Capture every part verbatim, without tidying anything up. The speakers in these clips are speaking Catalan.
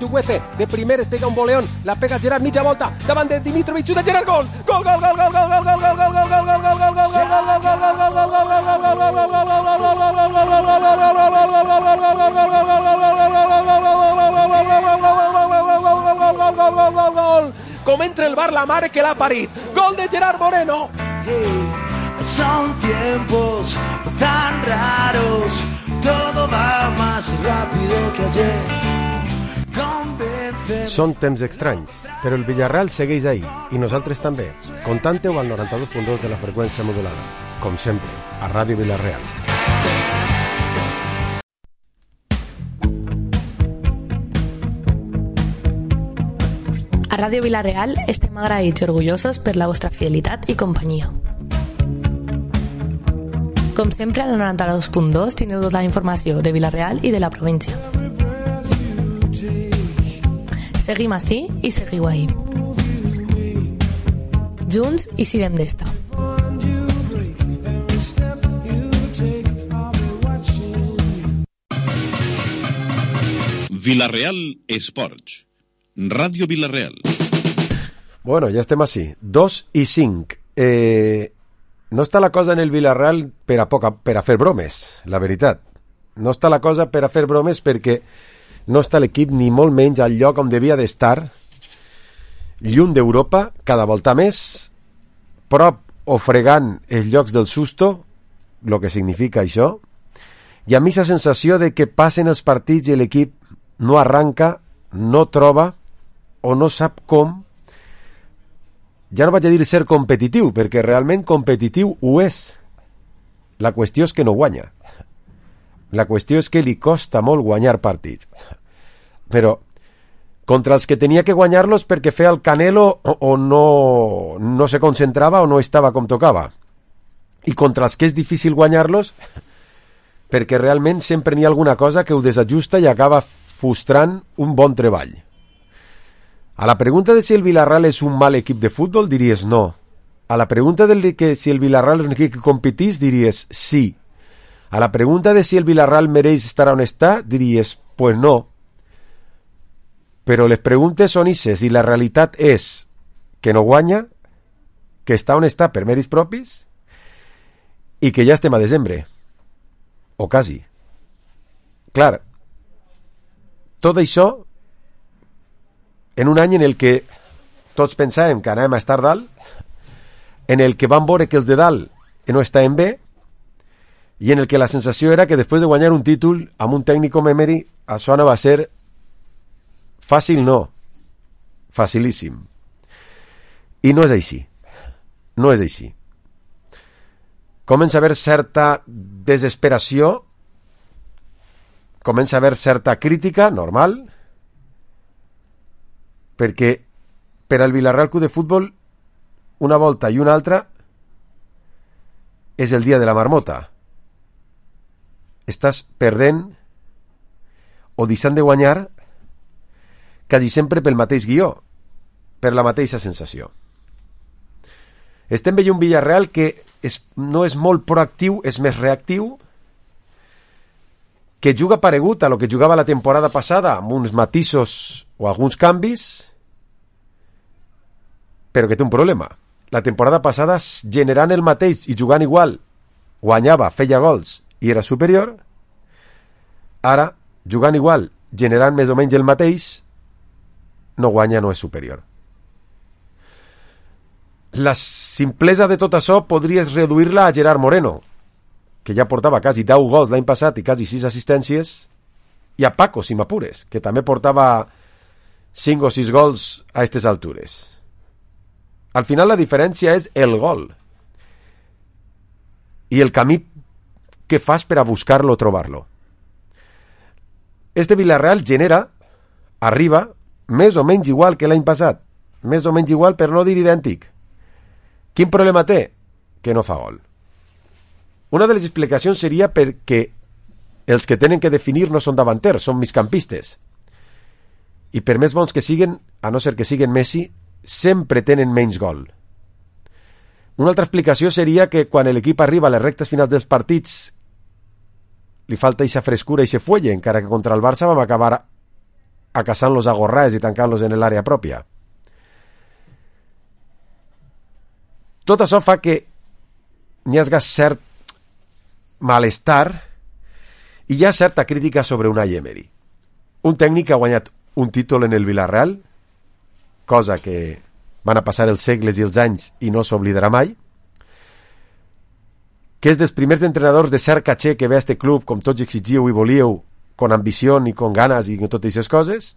Tuguece, de primeres pega un voleón, la pega Gerard, mitja volta, davant de Dimitrovic, xuta Gerard, gol! Gol, gol, gol, gol, gol, gol, gol, gol, gol, gol, gol, gol, gol, gol, gol, gol, com entra el bar la mare que l'ha parit, gol de Gerard Moreno. Son tiempos tan raros, todo va más rápido que ayer. Convénceme. Són temps estranys, però el Villarreal segueix ahí, i nosaltres també. Contante-ho al noranta-dos punt dos de la freqüència modulada, com sempre, a Ràdio Villarreal. A Ràdio Villarreal estem agraïts i orgullosos per la vostra fidelitat i companyia. Com sempre, al noranta-dos punt dos teniu tota la informació de Villarreal i de la província. Seguim ací i seguiu ahí. Junts i sirem d'esta. Villarreal Esports. Ràdio Villarreal. Bueno, ja estem ací. Dos i cinc. Eh... No està la cosa en el Villarreal per a, poca, per a fer bromes, la veritat. No està la cosa per a fer bromes perquè no està l'equip ni molt menys al lloc on devia d'estar, lluny d'Europa, cada volta més, prop o fregant els llocs del susto, el que significa això, i a mi la sensació de que passen els partits i l'equip no arranca, no troba o no sap com. Ja no vaig a dir ser competitiu, perquè realment competitiu ho és. La qüestió és que no guanya. La qüestió és que li costa molt guanyar partits. Però contra els que tenia que guanyar-los perquè feia el Canelo o, o no, no se concentrava o no estava com tocava. I contra els que és difícil guanyar-los perquè realment sempre n'hi ha alguna cosa que ho desajusta i acaba frustrant un bon treball. A la pregunta de si el Villarreal és un mal equip de futbol, diries no. A la pregunta de que si el Villarreal és un equip que competís, diries sí. A la pregunta de si el Villarreal mereix estar on està, diries pues no. Però les preguntes són ixes i la realitat és que no guanya, que està on està per mèrits propis i que ja estem a desembre. O quasi. Clar, tot això en un any en el que tots pensàvem que anàvem a estar dalt, en el que vam veure que els de dalt no estaven bé, i en el que la sensació era que després de guanyar un títol amb un tècnic com Emery, això no va ser fàcil, no, facilíssim. I no és així. No és així. Comença a haver certa desesperació, comença a haver certa crítica, normal, perquè per al Villarreal Club de Futbol una volta i una altra és el dia de la marmota. Estàs perdent o deixant de guanyar quasi sempre pel mateix guió, per la mateixa sensació. Estem veient un Villarreal que és, no és molt proactiu, és més reactiu, que juga paregut a lo que jugava la temporada passada, amb uns matisos o alguns canvis, però que té un problema. La temporada passada, generant el mateix i jugant igual, guanyava, feia gols i era superior. Ara, jugant igual, generant més o menys el mateix, no guanya, no és superior. La simplesa de tot això podries reduir-la a Gerard Moreno, que ja portava quasi deu gols l'any passat i quasi sis assistències, i a Paco, si m'apures, que també portava cinc o sis gols a aquestes altures. Al final la diferència és el gol i el camí que fas per a buscar-lo o trobar-lo. Este Villarreal genera, arriba, més o menys igual que l'any passat, més o menys igual per no dir idèntic. Quin problema té? Que no fa gol. Una de les explicacions seria perquè els que tenen que definir no són davanters, són migcampistes. I per més bons que siguen, a no ser que siguen Messi, sempre tenen menys gol. Una altra explicació seria que quan l'equip arriba a les rectes finals dels partits li falta eixa frescura i eixe fuelle, encara que contra el Barça vam acabar acaçant-los a gorrades i tancant-los en l'àrea pròpia. Tot això fa que n'hi hagi cert malestar i hi ha certa crítica sobre Unai Emery. Un tècnic que ha guanyat un títol en el Villarreal, cosa que van a passar els segles i els anys i no s'oblidarà mai, que és dels primers entrenadors de cert caché que ve a este club, com tots exigíeu i volíeu, con ambició i con ganes i con totes aquestes coses,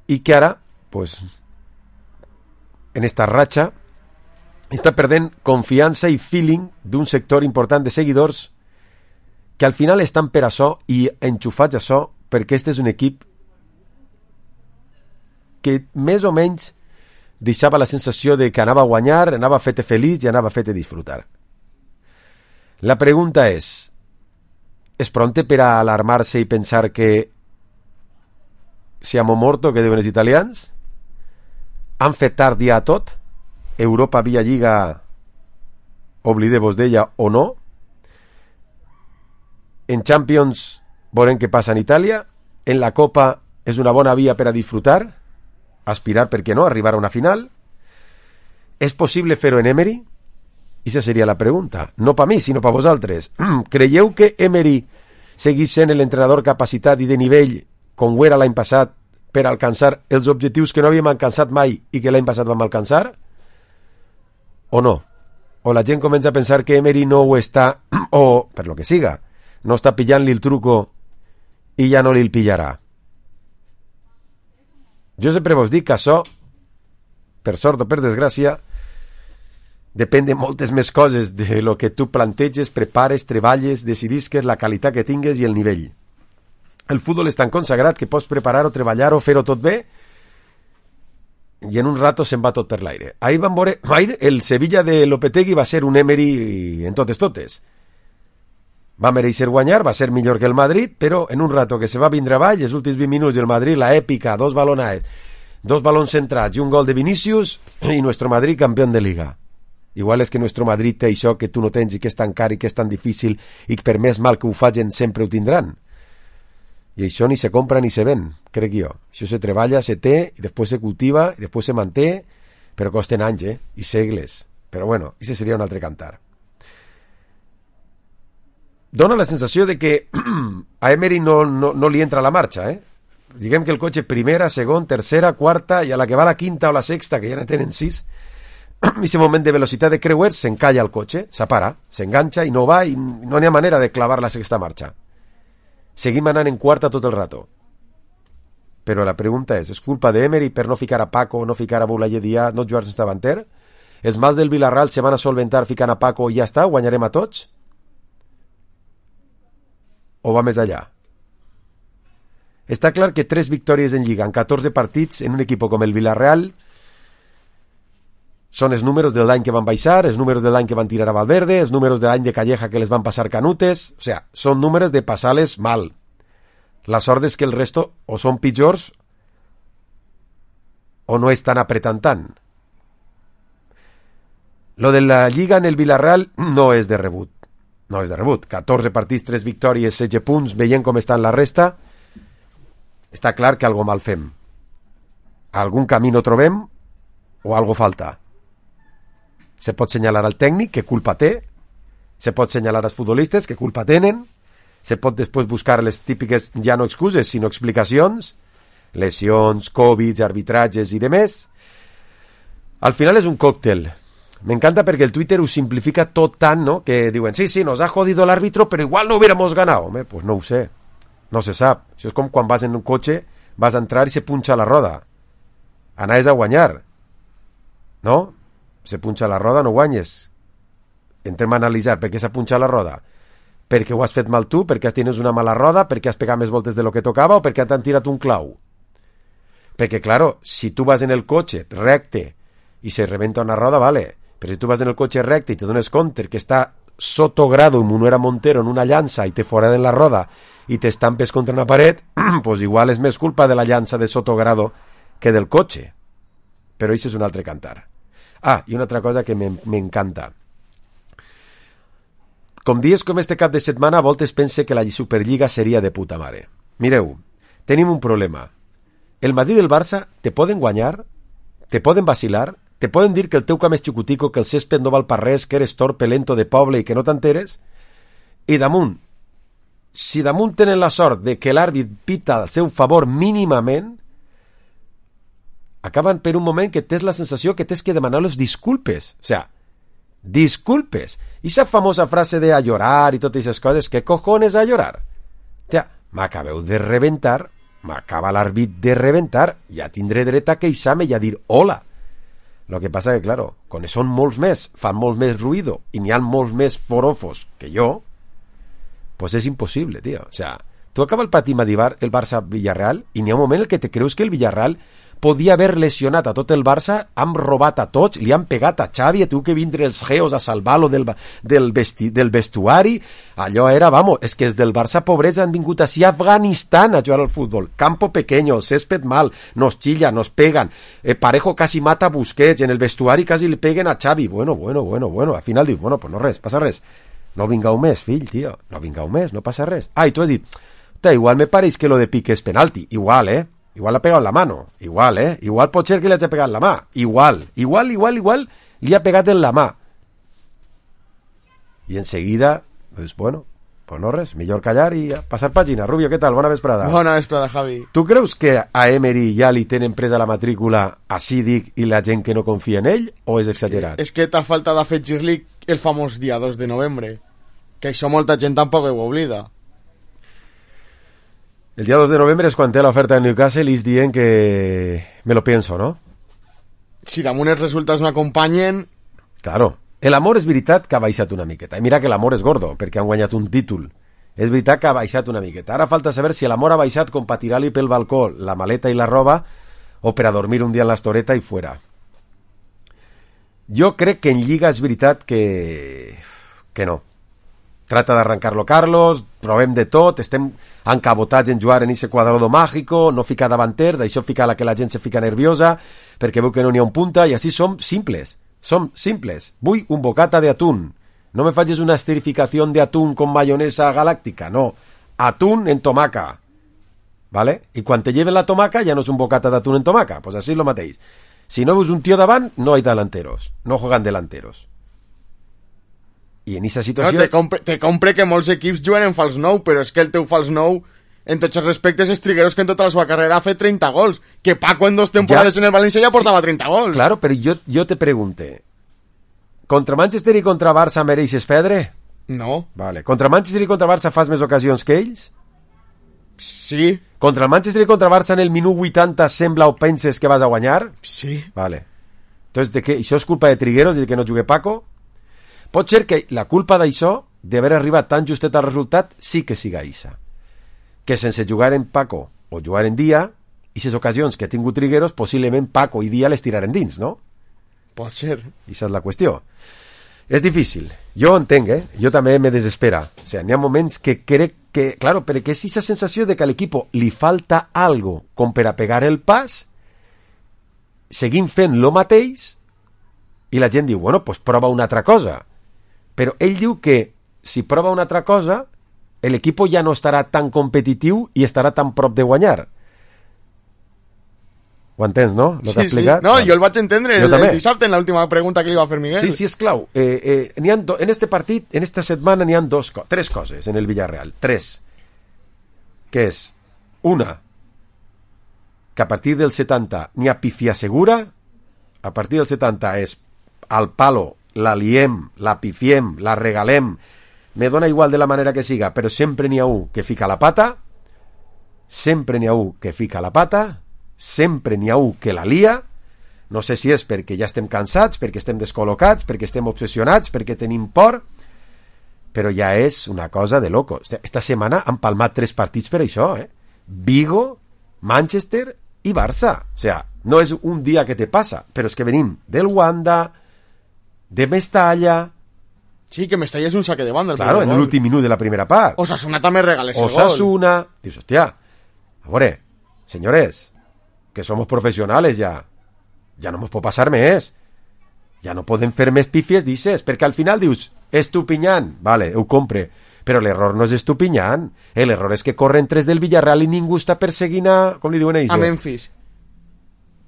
i que ara, pues, en esta ratxa, està perdent confiança i feeling d'un sector important de seguidors que al final estan per això i enxufats a això, perquè este és un equip que més o menys deixava la sensació de que anava a guanyar, anava a fer-te feliç i anava a fer-te disfrutar. La pregunta és, és pronte per a alarmar-se i pensar que siamo morto, que diuen els italians? Han fet tard ja tot? Europa via Lliga, oblideu-vos d'ella o no? En Champions veurem què passa en Itàlia. En la Copa és una bona via per a disfrutar, aspirar, per què no, arribar a una final. És possible fer-ho en Emery? I aquesta seria la pregunta. No per mi, sinó per vosaltres. Creieu que Emery seguís sent l'entrenador capacitat i de nivell com ho era l'any passat per alcançar els objectius que no havíem alcançat mai i que l'any passat vam alcançar? O no? O la gent comença a pensar que Emery no ho està, o, per lo que siga, no està pillant-li el truco i ja no li el pillarà. Jo sempre vos dic que això, per sort o per desgràcia, depèn de moltes més coses de lo que tu planteges, prepares, treballes, decidisques, la qualitat que tingues i el nivell. El futbol és tan consagrat que pots preparar o treballar o fer-ho tot bé i en un rato se'n va tot per l'aire. Ahir vam veure, ahir el Sevilla de Lopetegui va ser un Emery en totes totes. Va mereixer guanyar, va ser millor que el Madrid, però en un rato que se va vindre avall, els últims vint minuts del Madrid, la èpica, dos balonades, dos balons centrats i un gol de Vinícius i nuestro Madrid campió de Liga. Igual és que nuestro Madrid té això que tu no tens i que és tan car i que és tan difícil i que per més mal que ho facin sempre ho tindran. I això ni se compra ni se ven, crec jo. Això se treballa, se té, i després se cultiva, i després se manté, però costen anys, eh? I segles. Però bueno, això seria un altre cantar. Dóna la sensació de que a Emery no, no, no li entra la marxa, eh? Diguem que el cotxe primera, segon, tercera, quarta, i a la que va la quinta o la sexta, que ja ne tenen sis, en aquest moment de velocitat de creuers s'encalla el cotxe, s'apara, s'enganxa i no va i no n'hi ha manera de clavar la sexta marxa. Seguim anant en quarta tot el rato. Però la pregunta és, és culpa d'Emery per no ficar a Paco, no ficar a Boulaye Dia, no jugar sense davanter? Els mals del Villarreal se van a solventar ficant a Paco i ja està, guanyarem a tots? O va més allà? Està clar que tres victòries en Lliga en catorze partits en un equip com el Villarreal són els números de l'any que van baixar, els números de l'any que van tirar a Valverde, els números de l'any de Calleja que les van passar canutes, o sea, són números de passar-les mal. La sort és que el resto o són pitjors o no estan apretant tant. Lo de la Lliga en el Villarreal no és de rebut. No és de rebut. catorze partits, tres victòries, setze punts, veient com estan la resta, està clar que algo mal fem. Algun camí no trobem o algo falta. Se pot senyalar al tècnic, que culpa té, se pot senyalar als futbolistes, que culpa tenen, se pot després buscar les típiques, ja no excuses, sinó explicacions, lesions, Covid, arbitratges i demés. Al final és un còctel. M'encanta perquè el Twitter ho simplifica tot tant, ¿no? Que diuen, sí, sí, nos ha jodido el árbitro, pero igual no hubiéramos ganado. Home, pues no ho sé, no se sap. Això és com quan vas en un cotxe, vas a entrar i se punxa la roda. Anaves a guanyar, no? Se punxa la roda, no guanyes. Entrem a analitzar per què s'ha punxat la roda. Perquè ho has fet mal tu, perquè tens una mala roda, perquè has pegat més voltes de lo que tocava o perquè t'han tirat un clau. Perquè, claro, si tu vas en el cotxe recte i se rebenta una roda, vale. Però si tu vas en el cotxe recte i te dones compte que està sotogrado en una Montero en una llança i te fora de la roda i t'estampes contra una paret, pues igual és més culpa de la llança de sotogrado que del cotxe. Però això és un altre cantar. Ah, i una altra cosa que m'encanta. Com dies com este cap de setmana, a voltes pense que la Superliga seria de puta mare. Mireu, tenim un problema. el Madrid i el Barça te poden guanyar, te poden vacilar, te poden dir que el teu camp és xicutico, que el césped no val per res, que eres torpe, lento de poble i que no t'enteres, i damunt, si damunt tenen la sort de que l'àrbit pita al seu favor mínimament, acaben per un moment que tens la sensació que tens que demanar-los disculpes. O sea, disculpes. I esa famosa frase de a llorar i totes aquestes coses, ¿qué cojones a llorar? Tia, m'acabeu de reventar, m'acaba l'àrbit de reventar, ja tindré dret a queixar-me i a dir hola. Lo que passa que, claro, con són molts més, fan molt més ruïdo, i n'hi ha molts més forofos que jo, pues és impossible, tio. O sea, tu acaba el partit el Barça-Villarreal i n'hi ha un moment en què te creus que el Villarreal podia haver lesionat a tot el Barça, han robat a tots, li han pegat a Xavi, ha tingut que vindre els geos a salvar-lo del, del, vesti, del vestuari, allò era, vamos, és que els del Barça pobrets han vingut així a Afganistan a jugar al futbol, campo pequeño, césped mal, nos chilla, nos pegan, eh, Parejo casi mata a Busquets, en el vestuari quasi li peguen a Xavi, bueno, bueno, bueno, bueno, al final dius, bueno, pues no res, passa res, no vingau més, fill, tio, no vingau més, no passa res. Ah, i tu has dit, igual me pareix que lo de Piqué és penalti, igual, eh, igual l'ha pegat en la mano, igual, eh? Igual pot ser que li hagi pegat en la mà, igual, igual, igual, igual, li ha pegat en la mà. I enseguida, pues bueno, pues no res, millor callar i passar pàgina. Rubio, què tal? Bona vesprada. Bona vesprada, Javi. Tu creus que a Emery ja li tenen presa la matrícula a Sídic i la gent que no confia en ell, o és exagerat? És que t'ha faltat afegir-li el famós dia dos de novembre, que això molta gent tampoc ho oblida. El dia dos de novembre és quan té l'oferta de Newcastle i és dient que me lo pienso, ¿no? Si damunt els resultats no acompanyen... Claro. L'amor és veritat que ha baixat una miqueta. I mira que l'amor és gordo, perquè han guanyat un títol. És veritat que ha baixat una miqueta. Ara falta saber si l'amor ha baixat com per tirar-li pel balcó la maleta i la roba o per a dormir un dia en l'estoreta i fuera. Jo crec que en Lliga és veritat que... que no. Trata d'arrancar-lo Carlos, provem de tot, estem encabotats en jugar en ese cuadrado mágico, no ficar davanters, això fica la que la gent se fica nerviosa, perquè veu que no n'hi ha un punta, i així som simples, som simples. Vull un bocata de atún, no me facis una esterificació de atún con mayonesa galáctica, no, atún en tomaca, ¿vale? I quan te lleven la tomaca ja no és un bocata d'atún en tomaca, pues així és lo mateix. Si no veus un tio davant, no hay delanteros, no juegan delanteros. I en aquesta situació... No, te, compre, te compre que molts equips juguen en fals nou, però és que el teu fals nou, en tots els respectes, és Trigueros, que en tota la seva carrera ha fet trenta gols. Que Paco en dos temporades ja, en el València ja portava sí, trenta gols. Claro, però jo, jo te pregunte, contra Manchester i contra Barça mereixes perdre? No. Vale. Contra Manchester i contra Barça fas més ocasions que ells? Sí. Contra el Manchester i contra Barça en el minut vuitanta sembla o penses que vas a guanyar? Sí. Vale. Entonces, de què? Això és culpa de Trigueros i de que no jugui Paco? Pot ser que la culpa d'això, d'haver arribat tan justet al resultat, sí que siga eixa. Que sense jugar en Paco o jugar en Dia, i les ocasions que ha tingut Trigueros, possiblement Paco i Dia les tiraren dins, no? Pot ser. Eixa és la qüestió. És difícil. Jo ho entenc, eh? Jo també me desespera. O sea, n'hi ha moments que crec que... Claro, perquè és eixa sensació de que a l'equip li falta algo com per a pegar el pas, seguim fent lo mateix, i la gent diu, bueno, pues prova una altra cosa. Però ell diu que si prova una altra cosa, l'equip ja no estarà tan competitiu i estarà tan prop de guanyar. Ho entens, no? Lo sí, que ha explicat? Sí. No, jo el vaig entendre el, el dissabte en l'última pregunta que li va fer Miguel. Sí, sí, és clau. Eh, eh, n'hi ha do, en este partit, en esta setmana, n'hi ha dos, tres coses en el Villarreal. Tres. Que és, una, que a partir del setanta n'hi ha pifia segura, a partir del setanta és al palo, la liem, la pifiem, la regalem, me dona igual de la manera que siga, però sempre n'hi ha un que fica la pata, sempre n'hi ha un que fica la pata, sempre n'hi ha un que la lia, no sé si és perquè ja estem cansats, perquè estem descol·locats, perquè estem obsessionats, perquè tenim por, però ja és una cosa de loco. Esta setmana han palmat tres partits per això, eh? Vigo, Manchester i Barça. O sea, no és un dia que te passa, però és que venim del Wanda, de Mestalla. Sí, que Mestalla és un saque de banda. Claro, en l'últim minut de la primera part. Osasuna també regala ese Osasuna, gol. Osasuna. Dius, hòstia, a veure, señores, que somos professionals ja. Ja no mos pot passar més. Ja no podem fer més pífies, dices, perquè al final dius, Estupiñán, vale, ho compre, però l'error no és Estupiñán, l'error és que corren tres del Villarreal i ningú està perseguint a, com li diuen ells? A Memphis.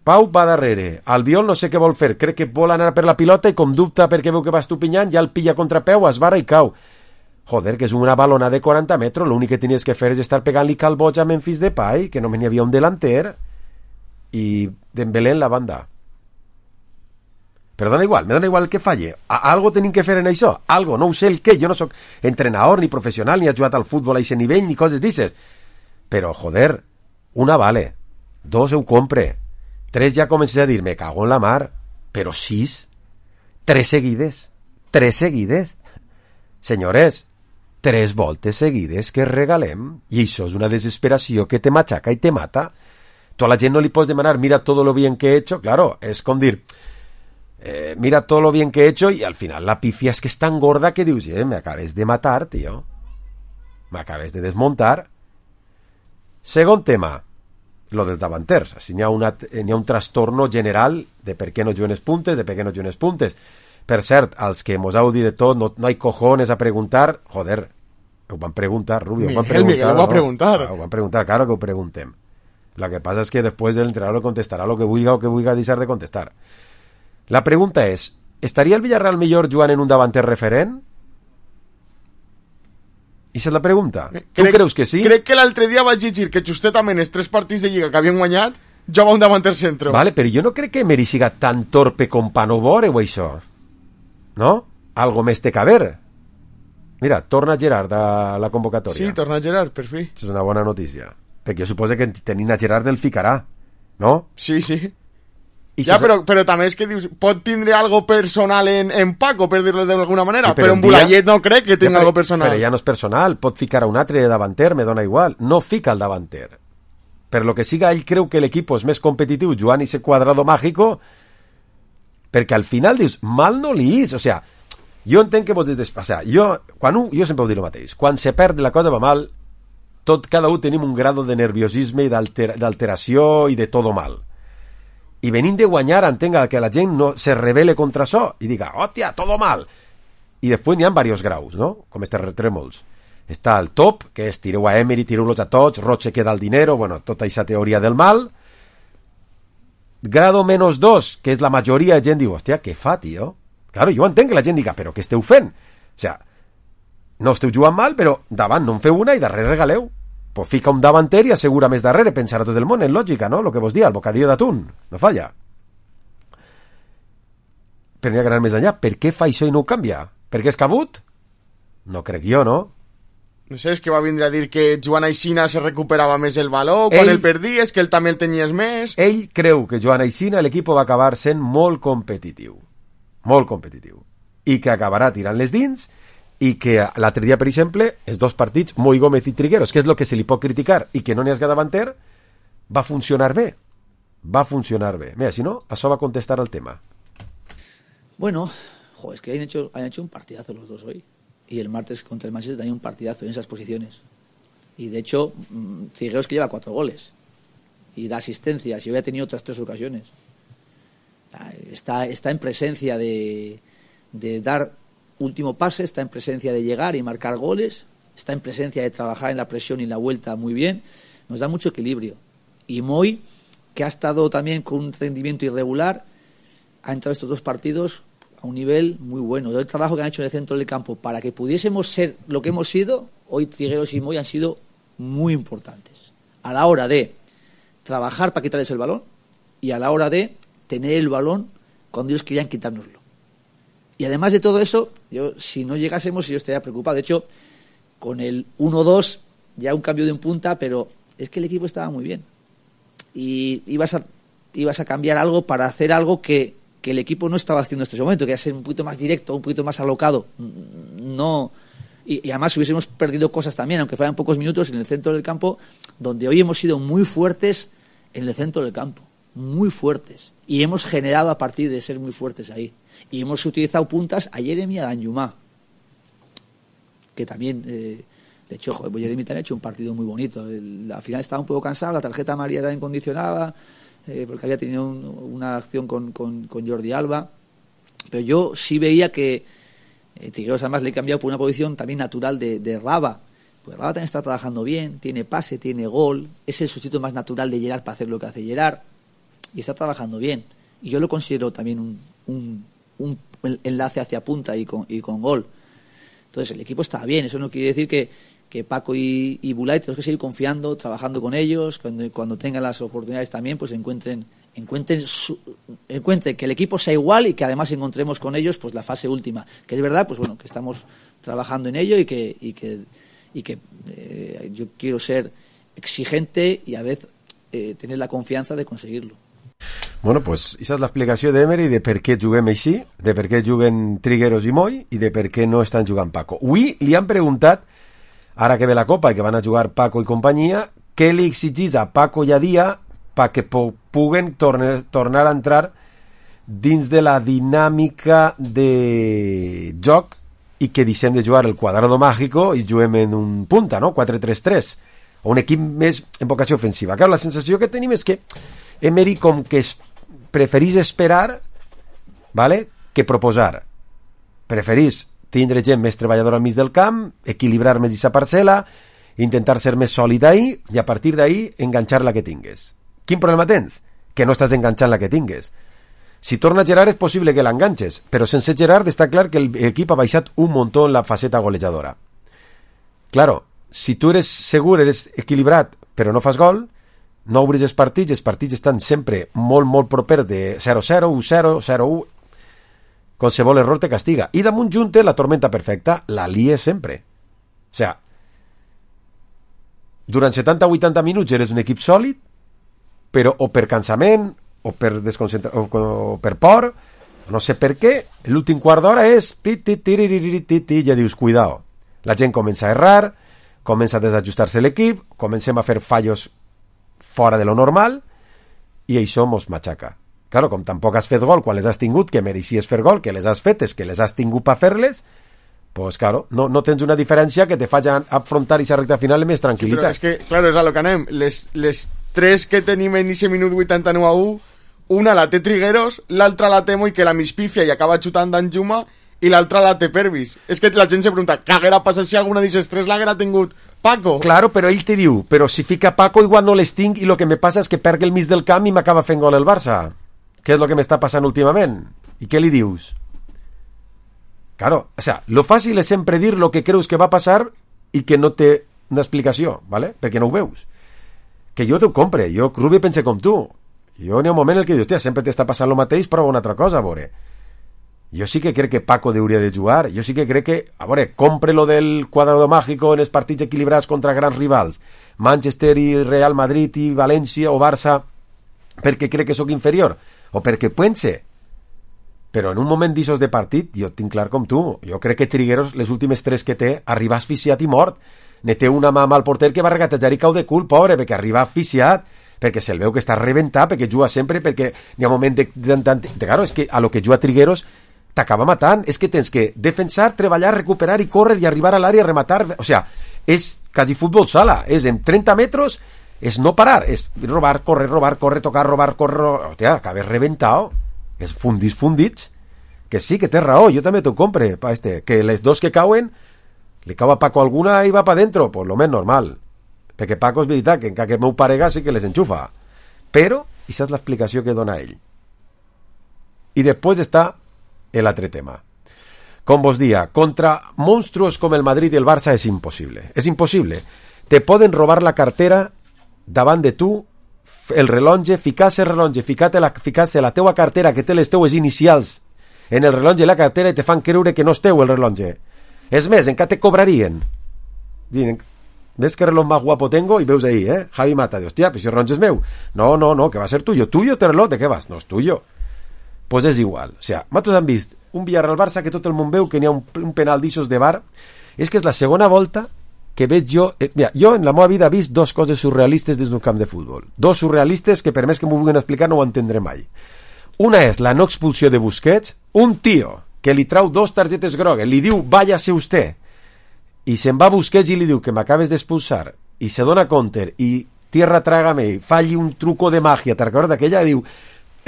Pau va darrere, Albiol no sé què vol fer, crec que vol anar per la pilota i com dubta perquè veu que va Estupiñán, ja el pilla contrapeu, esbarra i cau. Joder, que és una balona de quaranta metres, l'únic que tenies que fer és estar pegant-li calboig a Memphis Depay, que només n'hi havia un delanter, i Dembélé en la banda. Però dona igual, me dona igual el que falle. A algo tenim que fer en això, algo, no ho sé el què, jo no sóc entrenador, ni professional, ni he jugat al futbol a aquest nivell, ni coses d'ixes. Però, joder, una vale, dos ho compre, tres ja comences a dir, me cago en la mar, però sis, tres seguides, tres seguides. Senyores, tres voltes seguides que regalem, i això és una desesperació que te machaca i te mata. Tu a la gent no li pots demanar, mira todo lo bien que he hecho, claro, és com dir, eh, mira todo lo bien que he hecho, y al final la pifia es que es tan gorda que dius, eh, me acabes de matar, tío, me acabes de desmontar. Segon tema, lo dels davanters. Així n'hi ha, una, n'hi ha un trastorno general de per què no juguen els puntes, de per què no juguen els puntes. Per cert, als que mos heu dit de tot, no, no hay cojones a preguntar, joder, ho van preguntar, Rubio, Miguel, ho van preguntar. Miguel, ho va no? preguntar. Ah, ho van preguntar, claro que ho preguntem. Lo que pasa es que después el entrenador contestará lo que vulga o que vulga deixar de contestar. La pregunta és, ¿estaria el Villarreal millor jugant en un davanter referent? Esa és la pregunta. Tu crec, creus que sí? Crec que l'altre dia vaig llegir que justament els tres partits de Lliga que havien guanyat jugava un davanter centro. Vale, però jo no crec que Emery siga tan torpe com pa no veure o això. No? Algo més té que haver. Mira, torna Gerard a la convocatòria. Sí, torna Gerard, per fi. És una bona notícia. Perquè jo suposo que tenint a Gerard el ficarà, no? Sí, sí. I ja, si... però, però també és que dius, pot tindre algo personal en, en Paco, per dir-lo d'alguna manera, sí, però, però en Bulayet dia... no crec que tingui ja, algo personal. Però ja no és personal, pot ficar a un altre davanter, me dona igual. No fica el davanter. Per lo que siga, ell creu que l'equip és més competitiu jugant ese quadrado mágico, perquè al final dius, mal no li és, o sea, jo entenc que vos des... o sea, jo, quan un, jo sempre ho dic el mateix, quan se perd la cosa va mal, tot, cada un tenim un grado de nerviosisme i d'alteració i de todo mal. I venint de guanyar entenga que la gent no se rebele contra això i diga, hòstia, todo mal. I després n'hi ha diversos graus, no? Com estes trèmols. Està el top, que és tireu a Emery, tireu-los a tots, Roche queda el dinero, bueno, tota aquesta teoria del mal. Grado menos dos, que és la majoria de gent diu, hòstia, què fa, tio? Claro, jo entenc que la gent diga, però què esteu fent? O sea, no esteu jugant mal, però davant no en feu una i darrere regaleu. Pues fica un davanter i assegura més darrere, pensar a tot el món, en lògica, no? Lo que vos dia, el bocadillo d'atún, no falla. Però n'hi ha que anar més enllà. Per què fa això i no ho canvia? Per què és cabut? No crec jo, no? No sé, és que va vindre a dir que Joan Aixina se recuperava més el valor, quan ell, el perdies, que ell també el tenies més... Ell creu que Joan Aixina l'equip va acabar sent molt competitiu. Molt competitiu. I que acabarà tirant les dins... i que l'altre dia, per exemple, els dos partits, Moi Gómez i Trigueros, que és el que se li pot criticar i que no n'hi ha davanter, va funcionar bé. Va funcionar bé. Mira, si no, això va contestar al tema. Bueno, jo, es que han hecho, han hecho un partidazo los dos hoy. Y el martes contra el Manchester también un partidazo en esas posiciones. Y de hecho, Trigueros que lleva cuatro goles. Y da asistencias. Y hoy ha tenido otras tres ocasiones. Está, está en presencia de, de dar último pase, está en presencia de llegar y marcar goles, está en presencia de trabajar en la presión y en la vuelta muy bien, nos da mucho equilibrio. Y Moi, que ha estado también con un rendimiento irregular, ha entrado estos dos partidos a un nivel muy bueno. El trabajo que han hecho en el centro del campo para que pudiésemos ser lo que hemos sido, hoy Trigueros y Moi han sido muy importantes. A la hora de trabajar para quitarles el balón y a la hora de tener el balón cuando ellos querían quitárnoslo. Y además de todo eso, yo si no llegásemos yo estaría preocupado. De hecho, con el uno dos ya un cambio de un punta, pero es que el equipo estaba muy bien. Y ibas a, ibas a cambiar algo para hacer algo que, que el equipo no estaba haciendo en este momento, que era ser un poquito más directo, un poquito más alocado. No, y, y además hubiésemos perdido cosas también, aunque fueran pocos minutos en el centro del campo, donde hoy hemos sido muy fuertes en el centro del campo. Muy fuertes. Y hemos generado a partir de ser muy fuertes ahí. Y hemos utilizado puntas a Jeremy y a Danjuma, que también, eh, de hecho, joder, Jeremy también ha hecho un partido muy bonito. El, al final estaba un poco cansado, la tarjeta amarilla también condicionaba, eh, porque había tenido un, una acción con, con, con Jordi Alba. Pero yo sí veía que Eh, Trigueros además le he cambiado por una posición también natural de, de Raba. Pues Raba también está trabajando bien, tiene pase, tiene gol, es el sustituto más natural de Gerard para hacer lo que hace Gerard y está trabajando bien. Y yo lo considero también un, un, un enlace hacia punta y con, y con gol. Entonces el equipo está bien, eso no quiere decir que, que Paco y, y Bulay tenemos que seguir confiando, trabajando con ellos, cuando, cuando tengan las oportunidades también, pues encuentren, encuentren, su, encuentren que el equipo sea igual y que además encontremos con ellos pues la fase última, que es verdad, pues bueno, que estamos trabajando en ello y que, y que y que eh, yo quiero ser exigente y a veces eh, tener la confianza de conseguirlo. Bueno, pues esa és l'explicació d'Emery de per què juguem així, de per què juguen Trigueros i Moy i de per què no estan jugant Paco. Avui li han preguntat, ara que ve la Copa i que van a jugar Paco i companyia, què li exigís a Paco i a Dia perquè puguen tornar, tornar a entrar dins de la dinàmica de joc i que deixem de jugar el quadrado mágico i juguem en un punta, no? quatre tres tres, o un equip més en vocació ofensiva. Clar, la sensació que tenim és que Emery com que es preferís esperar, vale, que proposar. Preferís tindre gent més treballadora al mig del camp, equilibrar més aquesta parcel·la, intentar ser més sòlid ahí i a partir d'ahí enganxar la que tingues. Quin problema tens? Que no estàs enganxant la que tingues. Si torna Gerard és possible que l'enganxes, però sense Gerard està clar que l'equip ha baixat un muntó en la faceta golejadora. Claro, si tu eres segur, eres equilibrat, però no fas gol, no obris els partits, els partits estan sempre molt, molt propers de zero zero, u zero, zero u, qualsevol error te castiga. I damunt junte la tormenta perfecta, la lies sempre. O sea, durant setanta a vuitanta minuts eres un equip sòlid, però o per cansament, o per desconcentra... o, o per por, no sé per què, l'últim quart d'hora és i ja dius, cuidao. La gent comença a errar, comença a desajustar-se l'equip, comencem a fer fallos fora de lo normal i això mos matxaca. Claro, com tampoc has fet gol quan les has tingut, que mereixies fer gol, que les has fetes, que les has tingut per fer-les, pues claro, no, no tens una diferència que te faci afrontar aquesta recta final amb més tranquil·litat. Sí, però és que, claro, és a lo que anem. Les, les tres que tenim en aquest minut vuitanta-nou a u, una la té Trigueros, l'altra la té Moy, que la mispifia i acaba xutant d'Anjuma, i l'altra la té Pervis. És que la gent se pregunta, què haguera passat si alguna d'aquestes tres l'haguera tingut Paco? Claro, però ell te diu, però si fica Paco igual no les tinc i lo que me passa és que perc el mig del camp i m'acaba fent gol el Barça. Què és lo que m'està passant últimament? I què li dius? Claro, o sea, lo fàcil és sempre dir lo que creus que va passar i que no té una explicació, ¿vale? Perquè no ho veus. Que jo t'ho compre, jo, Rubi, pense com tu. Jo n'hi ha un moment en què dius, hòstia, sempre t'està passant el mateix, prova una altra cosa, a veure. Jo sí que crec que Paco hauria de jugar, jo sí que crec que, a veure, compre lo del quadrado mágico en els partits equilibrats contra grans rivals, Manchester i Real Madrid i València o Barça, perquè crec que sóc inferior, o perquè pense. Però en un moment d'issos de partit, jo tinc clar com tu, jo crec que Trigueros, les últimes tres que té, arriba asfixiat i mort. Ne té una mà amb el porter que va regatejar i cau de cul, pobre, perquè arriba asfixiat, perquè se'l veu que està reventat, perquè juga sempre, perquè n'hi ha un moment de... de, de, de claro, és que a lo que juga Trigueros t'acaba matant, és que tens que defensar, treballar, recuperar i córrer i arribar a l'àrea a rematar, o sea, és quasi futbol sala, és en trenta metres, és no parar, és robar, correr, robar, correr, tocar, robar, correr, hòstia, acabes reventado, és fundits, fundits, que sí, que té raó, jo també t'ho compre, pa este, que les dos que cauen, li cau a Paco alguna i va pa dentro, pues lo més normal, perquè Paco és veritat, que encara que el meu parega sí que les enxufa, però, això és l'explicació que dona ell. I després està el altre tema. Com vos dia, contra monstruos com el Madrid i el Barça és impossible, és impossible. Te poden robar la cartera davant de tu, el rellotge, ficar-se el rellotge, ficar-se la, ficar-se la teua cartera que té les teues inicials en el rellotge i la cartera i te fan creure que no és teu el rellotge. És més, encara te cobrarien. Diuen, ves que reloj más guapo tengo, i veus ahí, eh? Javi Mata, de hostia, pues si el rellotge és meu. No, no, no, que va a ser tuyo. Tuyo este reloj, ¿de qué vas? No és tuyo. Pues és igual. O sea, nosaltres hem vist un Villarreal-Barça que tot el món veu que n'hi ha un, un penal d'ixos de bar. És que és la segona volta que veig jo... Eh, mira, jo en la meva vida he vist dos coses surrealistes des d'un camp de futbol. Dos surrealistes que per més que m'ho vulguin explicar no ho entendré mai. Una és la no expulsió de Busquets, un tio que li trau dos targetes grogues, li diu váyase usted, i se'n va a Busquets i li diu que m'acabes d'expulsar, i se dona counter, i tierra trágame, falli un truco de màgia, te'n recordes d'aquella? Diu,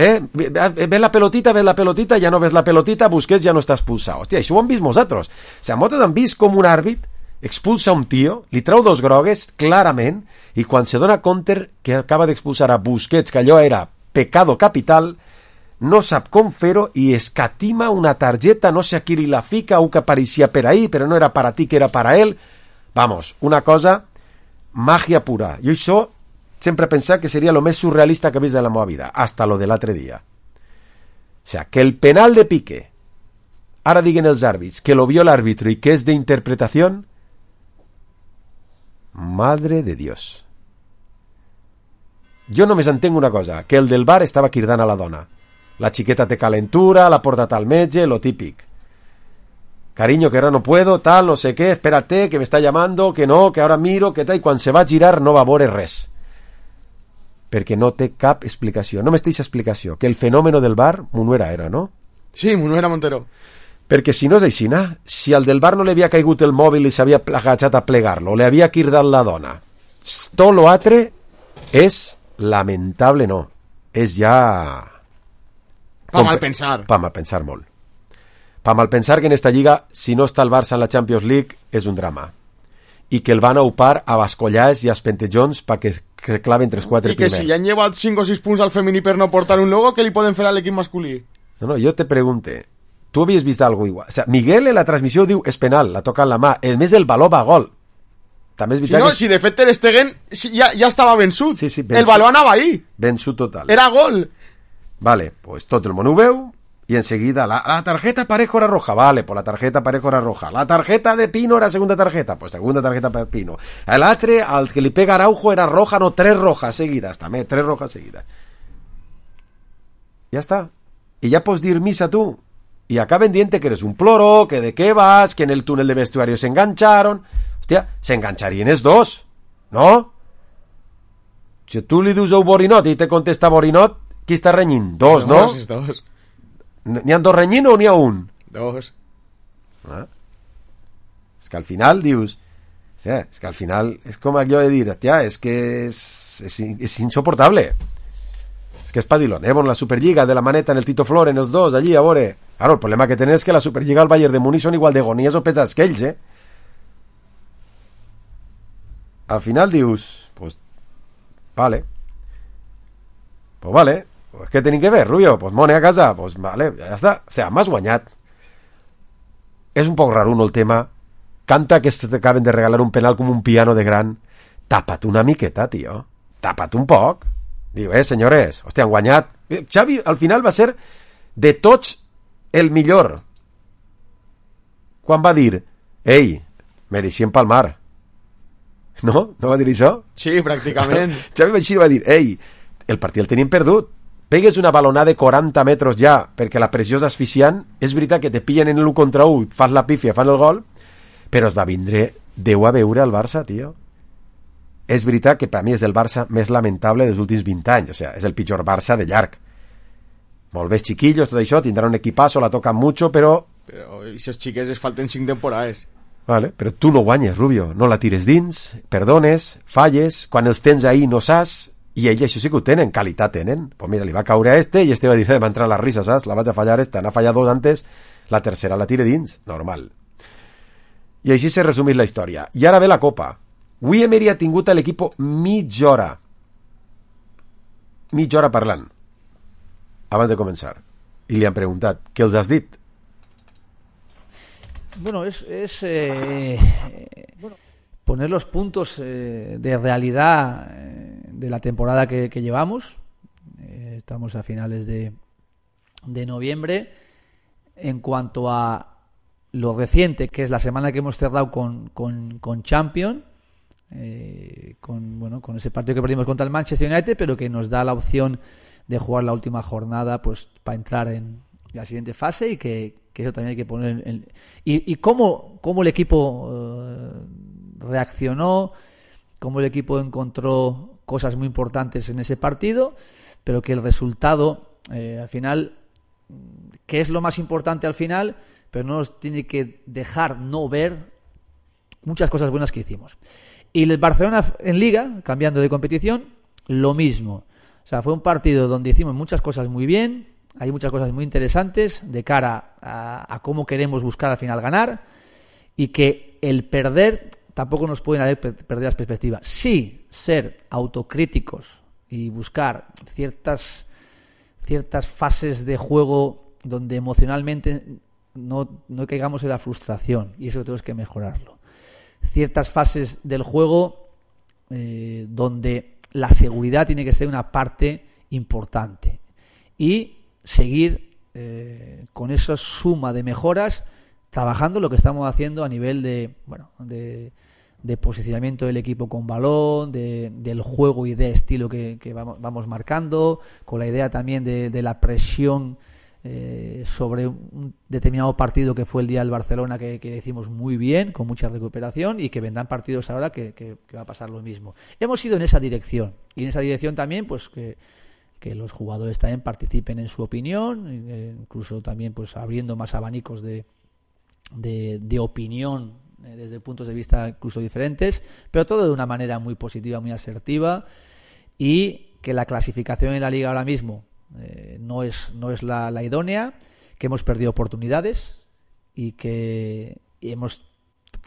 Eh? Ves la pelotita, ves la pelotita, ja no ves la pelotita, Busquets ja no està expulsat. Hòstia, això ho hem vist nosaltres. O sigui, nosaltres hem vist com un àrbit expulsa un tio, li treu dos grogues, clarament, i quan se dona compte que acaba d'expulsar a Busquets, que allò era pecado capital, no sap com fer-ho i escatima una targeta, no sé a qui li la fica, un que apareixia per ahí, però no era para ti, que era para él. Vamos, una cosa, màgia pura. Jo això sempre he pensat que seria lo més surrealista que he vist en la meva vida, hasta lo de l'altre dia. O sea, que el penal de Piqué, ara diguen els àrbits, que lo vio l'àrbitro i que és d'interpretació, madre de Dios. Jo només entenc una cosa, que el del bar estava cridant a la dona. La xiqueta té calentura, la portat al metge, lo típic. Cariño, que ahora no puedo, tal, no sé qué, espérate, que me está llamando, que no, que ahora miro, que tal, i quan se va a girar no va a veure res. Perquè no té cap explicació. No m'esteix explicació, que el fenòmeno del bar, Munuera era, no? Sí, Munuera Montero. Perquè si no és així, si al del bar no li havia caigut el mòbil i s'havia agachat a plegar-lo, li havia cridat la dona, tot lo altre és lamentable, no. És ja... Pa mal pensar. Pa mal pensar molt. Pa mal pensar que en esta lliga, si no està el Barça en la Champions League, és un drama. I que el van a upar a bascollars i a espentejons perquè que claven tres quatre primers. I que primer. si ja han llevat cinc o sis punts al femení per no portar un logo, què li poden fer a l'equip masculí? No, no, jo te pregunte, tu havies vist algo igual? O sea, Miguel en la transmissió diu és penal, la toca en la mà. A més, el baló va a gol. També és si no, que... si de fet Ter Stegen si ja, ja estava vençut. Sí, sí, vençut. El baló anava ahí. Vençut total. Era gol. Vale, pues tot el món ho veu y enseguida la, la tarjeta Parejo era roja, vale, pues la tarjeta Parejo era roja, la tarjeta de Pino era segunda tarjeta, pues segunda tarjeta para Pino, el altre al que li pega Araujo era roja, no, tres rojas seguidas també, tres rojas seguidas, ya está, y ya pots dir misa tú, y acaben dient que eres un ploro, que de qué vas, que en el túnel de vestuario se engancharon, hostia, se engancharían es dos, ¿no? Si tú li dius a Borinot i te contesta Borinot, qui està renyint? Dos, no? Dos, dos. N'hi ha dos renyint o n'hi ha un? Dos. Ah. És que al final dius... Hòstia, és que al final és com allò de dir, hòstia, és que és, és, és insoportable. És que és Padiloneo en la Superliga, de la maneta en el Tito Flor, en els dos, allí, a veure... Claro, el problema que tenen és que la Superliga al Bayern de Múnich són igual de gonies o pesats que ells, eh? Al final dius... Pues... Vale. Pues vale... Pues què tenim que ver, Rubio? Pues mone a casa, pues vale, ja està. O sea, m'has guanyat. És un poc raro el tema. Canta que t'acaben de regalar un penal com un piano de gran. Tapa't una miqueta, tio. Tapa't un poc. Diu, eh, senyores, hòstia, han guanyat. Xavi, al final va ser de tots el millor. Quan va dir, ei, mereixien palmar. No? No va dir això? Sí, pràcticament. Xavi Així va dir, ei, el partit el tenim perdut. Pegues una balonada de quaranta metres ja, perquè la pressió és asfixiant, és veritat que te pillen en l'u contra u, fas la pífia, fan el gol, però es va vindre Déu a veure al Barça, tio. És veritat que per mi és el Barça més lamentable dels últims vint anys, o sea, és el pitjor Barça de llarg. Molt bé, chiquillos, tot això, tindran un equipazo, la tocan mucho, però... Però aquests xiquets es falten cinc temporades. Vale, però tu no guanyes, Rubio, no la tires dins, perdones, falles, quan els tens ahí no saps... I ells això sí que ho tenen, qualitat tenen. Pues mira, li va caure a este i este va dir, va entrar a la risa, saps? La vaig a fallar esta, n'ha fallat dos antes, la tercera la tire dins, normal. I així s'ha resumit la història. I ara ve la Copa. Avui Emery ha tingut a l'equip mitja hora. Mitja hora parlant. Abans de començar. I li han preguntat, què els has dit? Bueno, es... es eh, bueno. poner los puntos eh, de realidad eh, de la temporada que, que llevamos. Eh, estamos a finales de, de noviembre. En cuanto a lo reciente, que es la semana que hemos cerrado con, con, con Champions, eh, con, bueno, con ese partido que perdimos contra el Manchester United, pero que nos da la opción de jugar la última jornada pues para entrar en la siguiente fase y que, que eso también hay que poner en, en, y, y cómo, cómo el equipo eh, reaccionó, cómo el equipo encontró cosas muy importantes en ese partido, pero que el resultado eh, al final, que es lo más importante al final, pero no nos tiene que dejar no ver muchas cosas buenas que hicimos. Y el Barcelona en Liga, cambiando de competición, lo mismo. O sea, fue un partido donde hicimos muchas cosas muy bien, hay muchas cosas muy interesantes de cara a, a cómo queremos buscar al final ganar, y que el perder tampoco nos pueden hacer perder las perspectivas. Sí, ser autocríticos y buscar ciertas, ciertas fases de juego donde emocionalmente no, no caigamos en la frustración, y eso tenemos que mejorarlo. Ciertas fases del juego eh, donde la seguridad tiene que ser una parte importante, y seguir eh, con esa suma de mejoras, trabajando lo que estamos haciendo a nivel de, bueno, de, de posicionamiento del equipo con balón, de, del juego y de estilo que, que vamos, vamos marcando, con la idea también de, de la presión eh, sobre un determinado partido que fue el día del Barcelona, que, que hicimos muy bien, con mucha recuperación, y que vendrán partidos ahora que, que, que va a pasar lo mismo. Hemos ido en esa dirección, y en esa dirección también pues que, que los jugadores también participen en su opinión, eh, incluso también pues abriendo más abanicos de De, de opinión eh, desde puntos de vista incluso diferentes, pero todo de una manera muy positiva, muy asertiva, y que la clasificación en la liga ahora mismo eh, no es, no es la, la idónea, que hemos perdido oportunidades y que hemos,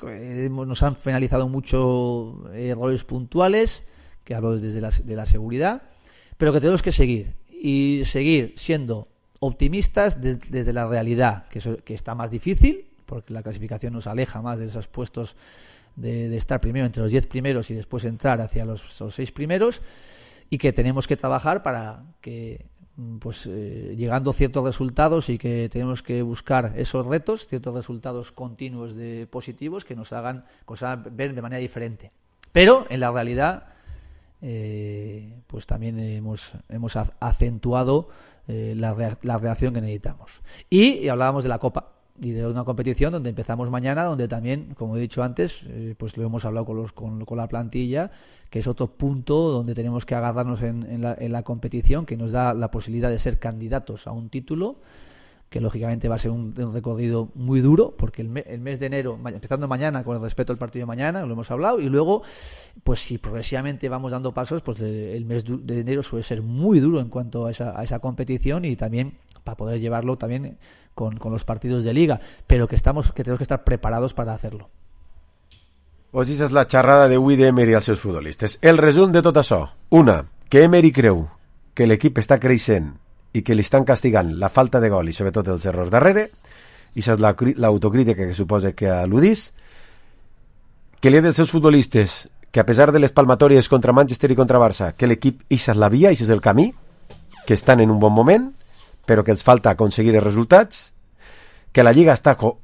hemos nos han penalizado mucho errores puntuales, que hablo desde la, de la seguridad, pero que tenemos que seguir y seguir siendo optimistas de, desde la realidad, que, eso, que está más difícil, porque la clasificación nos aleja más de esos puestos de, de estar primero entre los diez primeros y después entrar hacia los, los seis primeros, y que tenemos que trabajar para que, pues eh, llegando a ciertos resultados, y que tenemos que buscar esos retos, ciertos resultados continuos de positivos que nos hagan, que nos hagan ver de manera diferente. Pero en la realidad eh, pues también hemos, hemos acentuado eh, la, rea- la reacción que necesitamos. Y, y hablábamos de la Copa, y de una competición donde empezamos mañana, donde también, como he dicho antes, eh, pues lo hemos hablado con, los, con, con la plantilla, que es otro punto donde tenemos que agarrarnos en, en, la, en la competición, que nos da la posibilidad de ser candidatos a un título, que lógicamente va a ser un, un recorrido muy duro, porque el, me, el mes de enero, empezando mañana con el respeto al partido de mañana, lo hemos hablado, y luego, pues si progresivamente vamos dando pasos, pues el mes de enero suele ser muy duro en cuanto a esa, a esa competición, y también para poder llevarlo también con, con los partidos de liga, pero que estamos que tenemos que estar preparados para hacerlo. Pues esa és la xerrada d'avui d'Emery als seus futbolistes. El resum de tot això: una, que Emery creu que l'equip està creixent i que li estan castigant la falta de gol i sobretot els errors darrere, i això és la, l'autocrítica que suposa que al·ludís, que li ha dels seus futbolistes que a pesar de les palmatòries contra Manchester i contra Barça, que l'equip ix és la via, ix és el camí, que estan en un bon moment, però que els falta aconseguir els resultats, que la Lliga està co-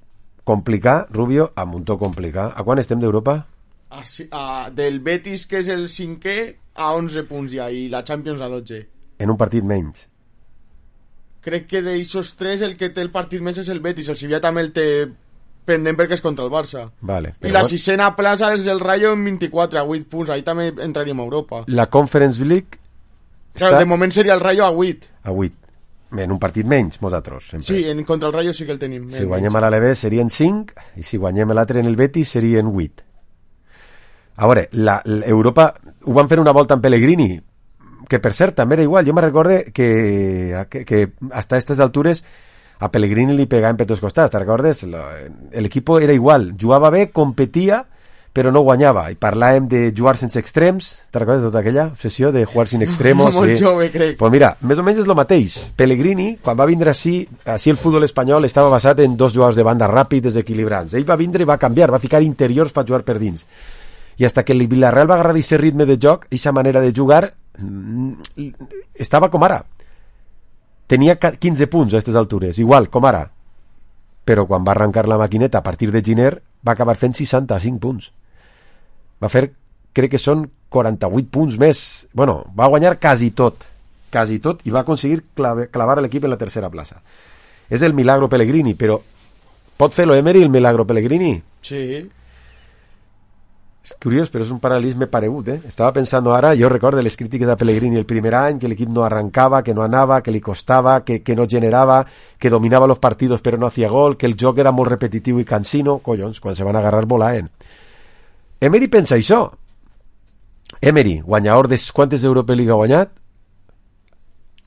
complicada, Rubio, a muntó complicada. A quan estem d'Europa? A, a, del Betis, que és el cinquè, a onze punts ja, i la Champions a dotze. En un partit menys. Crec que d'aixòs tres el que té el partit menys és el Betis, el Sevilla també el té pendent perquè és contra el Barça. Vale, I la sisena plaça és el Rayo en vint-i-quatre, a vuit punts, ahí també entraríem a Europa. La Conference League Claro, està de moment seria el Rayo a vuit. a vuit. En un partit menys, nosaltres. Sempre. Sí, en, contra el Rayo sí que el tenim. Si guanyem a l'Alevés serien cinc, i si guanyem l'altre en el Betis serien vuit. A veure, la, l'Europa ho van fer una volta en Pellegrini, que per cert també era igual. Jo me recorde que, que, que hasta aquestes altures a Pellegrini li pegaven per tots costats, te recordes? L'equip era igual, jugava bé, competia, però no guanyava, i parlàvem de jugar sense extrems. Te recordes tota aquella obsessió de jugar sin extremos? Molt sí. jove, crec. Pues mira, més o menys és el mateix. Pellegrini, quan va vindre així, així el futbol espanyol estava basat en dos jugadors de banda ràpids, desequilibrants. Ell va vindre i va canviar, va ficar interiors per jugar per dins. I hasta que el Villarreal va agarrar aquest ritme de joc, aquesta manera de jugar, estava com ara. Tenia quinze punts a aquestes altures, igual, com ara. Però quan va arrencar la maquineta a partir de Giner, va acabar fent seixanta-cinc punts. Va fer, crec que són quaranta-vuit punts més. Bueno, va guanyar quasi tot, quasi tot, i va aconseguir clave, clavar l'equip en la tercera plaça. És el milagro Pellegrini, però pot fer-lo Emery, el milagro Pellegrini? Sí. És curiós, però és un paral·lelisme paregut, eh? Estava pensant ara, jo recordo les crítiques de Pellegrini el primer any, que l'equip no arrancava, que no anava, que li costava, que, que no generava, que dominava els partits però no hacía gol, que el joc era molt repetitiu i cansino. Collons, quan se van agarrar volaven. Emery pensa això. Emery, guanyador de quantes Europa League ha guanyat?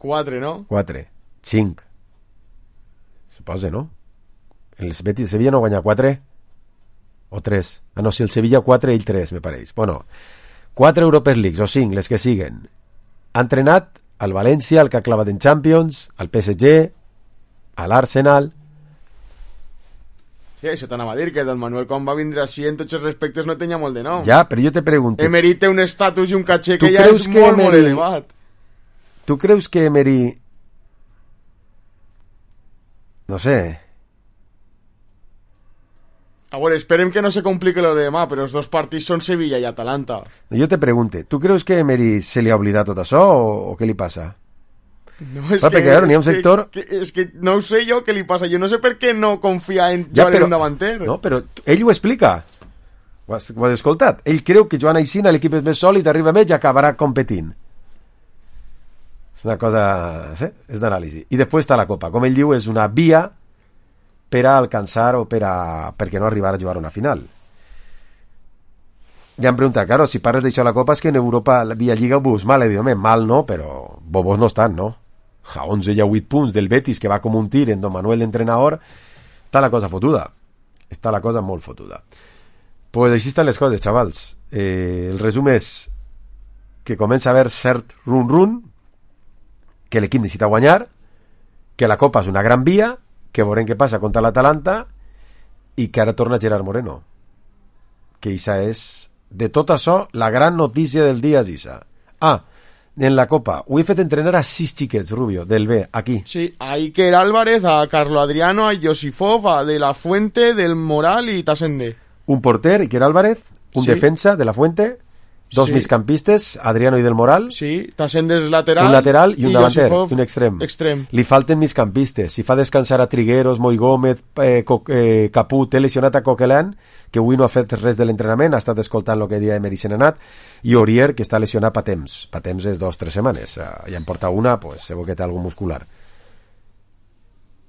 Quatre, no? Quatre. Cinc. Suposa, no? El Betis, Sevilla no guanya quatre? O tres? Ah, no, si el Sevilla quatre, ell tres, me pareix. Bueno, quatre Europa Leagues, o cinc, les que siguen. Ha entrenat al València, el que ha clavat en Champions, al P S G, a l'Arsenal. Sí, això t'anava a dir, que Don Manuel quan va vindre així en tots els respectes no tenia molt de nom. Ja, però jo te pregunto... Emery té un estatus i un caché Tu que ja creus és que molt, molt Emery- elevat. Tu creus que Emery... No sé... A veure, esperem que no se complique lo de demà, però els dos partits són Sevilla i Atalanta. Jo te pregunte, tu creus que Emery se li ha oblidat tot això o, o què li passa? No, és Ah, que, perquè, claro, n'hi ha un és que- sector- Que, és que no ho sé jo què li passa. Jo no sé per què no confia en Ja, Joan però- un davanter. No, però ell ho explica. Ho has, ho has escoltat? Ell creu que Joan Aixina l'equip és més sòlid, arriba més i acabarà competint. És una cosa... Sí? És d'anàlisi. I després està la Copa. Com ell diu, és una via per a alcançar o per a... perquè no arribar a jugar una final. Li han preguntat, claro, si parles d'això a la Copa és que en Europa la via Lliga ho veus mal, evidentment, mal no, però bobos no estan, no? A onze i a vuit punts del Betis, que va com un tir en Don Manuel d'entrenador, està la cosa fotuda. Està la cosa molt fotuda. Pues així estan les coses, xavals. Eh, el resum és que comença a haver cert run-run, que l'equip necessita guanyar, que la Copa és una gran via, que veurem què passa contra l'Atalanta i que ara torna Gerard Moreno. Que Isa és, de tot això, la gran notícia del dia és Isa. Ah, en la Copa, ho he fet entrenar a sis xiquets, Rubio, del B, aquí. Sí, a Iker Álvarez, a Carlo Adriano, a Josifov, a De La Fuente, Del Moral y Tasende. Un porter, Iker Álvarez, un Sí. defensa de la Fuente, dos Sí. migcampistes, Adriano i Del Moral, Sí, Tasende és lateral. un lateral i un davanter, Josifov, i un extrem. Extrem. Li falten migcampistes. Si fa descansar a Trigueros, Moi Gómez, eh, Co eh, Caput, té lesionat a Coquelin, que avui no ha fet res de l'entrenament, ha estat escoltant el que dia Emery Senenat, i Orier, que està lesionat pa temps. Pa temps és dos o tres setmanes. Uh, ja en porta una, pues, segur que té algun muscular.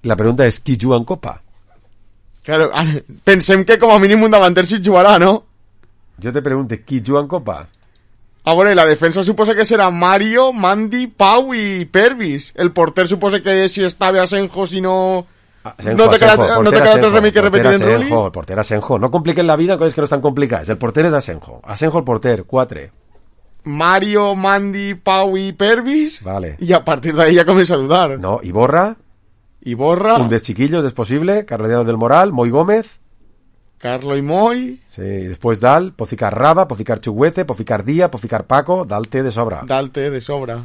La pregunta és, qui juga en Copa? Claro, ara, pensem que com a mínim un davanter sí jugarà, no? Jo te pregunto, qui juga en Copa? Ah, bueno, y la defensa suposa que será Mario, Mandy, Pau y Pervis. El porter suposa que si está Asenjo, si no... Asenjo, no te queda, Asenjo, no te porter queda otro Asenjo, remei que porter repetir en Rulli. Asenjo, el porter Asenjo. No compliquen la vida, coses que no estan complicades. El porter és Asenjo. Asenjo el porter, quatre. Mario, Mandy, Pau y Pervis. Vale. Y a partir de ahí ya comienza a dudar. No, Iborra, Y Borra, un dels chiquillos, és possible, Carlos del Moral, Moi Gómez, Carlo y Moy, sí, después Dal, pot ficar Raba, pot ficar Chuguete, pot ficar Díaz, pot ficar Paco, Dal té de sobra. Dalte de sobra.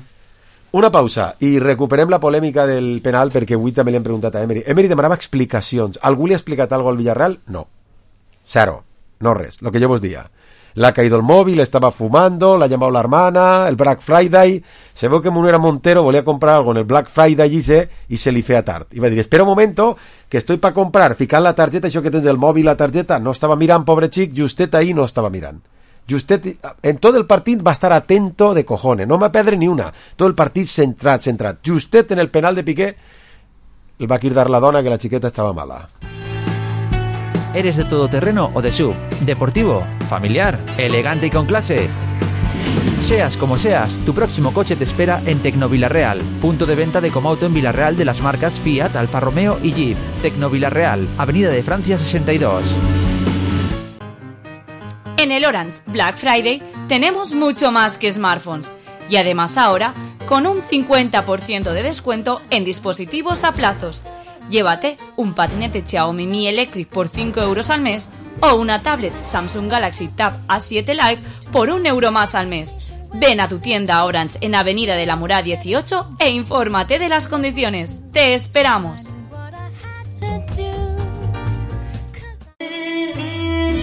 Una pausa i recuperem la polèmica del penal perquè avui també li hem preguntat a Emery. Emery demanava explicacions. Algú li ha explicat alguna cosa al Villarreal? No. Cero. No res. Lo que yo vos dia. Le ha caído el móvil, estaba fumando, le ha llamado la hermana, el Black Friday. Se veu que Munera Montero volía comprar algo en el Black Friday i se, i se li feia tard. I va dir, espera un momento, que estoy para comprar, ficant la targeta, això que tens del mòbil, la targeta, no estava mirant, pobre xic, justet ahí no estava mirant. Justet, en tot el partit va estar atento de cojones, no va perdre ni una, tot el partit centrat, centrat. Justet en el penal de Piqué, el va cridar la dona que la xiqueta estava mala. ¿Eres de todoterreno o de S U V? ¿Deportivo? ¿Familiar? ¿Elegante y con clase? Seas como seas, tu próximo coche te espera en Tecnovilarreal, punto de venta de Comauto en Villarreal de las marcas Fiat, Alfa Romeo y Jeep. Tecnovilarreal, Avenida de Francia sesenta y dos. En el Orange Black Friday tenemos mucho más que smartphones y además ahora con un cincuenta por ciento de descuento en dispositivos a plazos. Llévate un patinete Xiaomi Mi Electric por cinco euros al mes o una tablet Samsung Galaxy Tab A siete Lite por un euro más al mes. Ven a tu tienda Orange en Avenida de la Murá dieciocho e infórmate de las condiciones. ¡Te esperamos!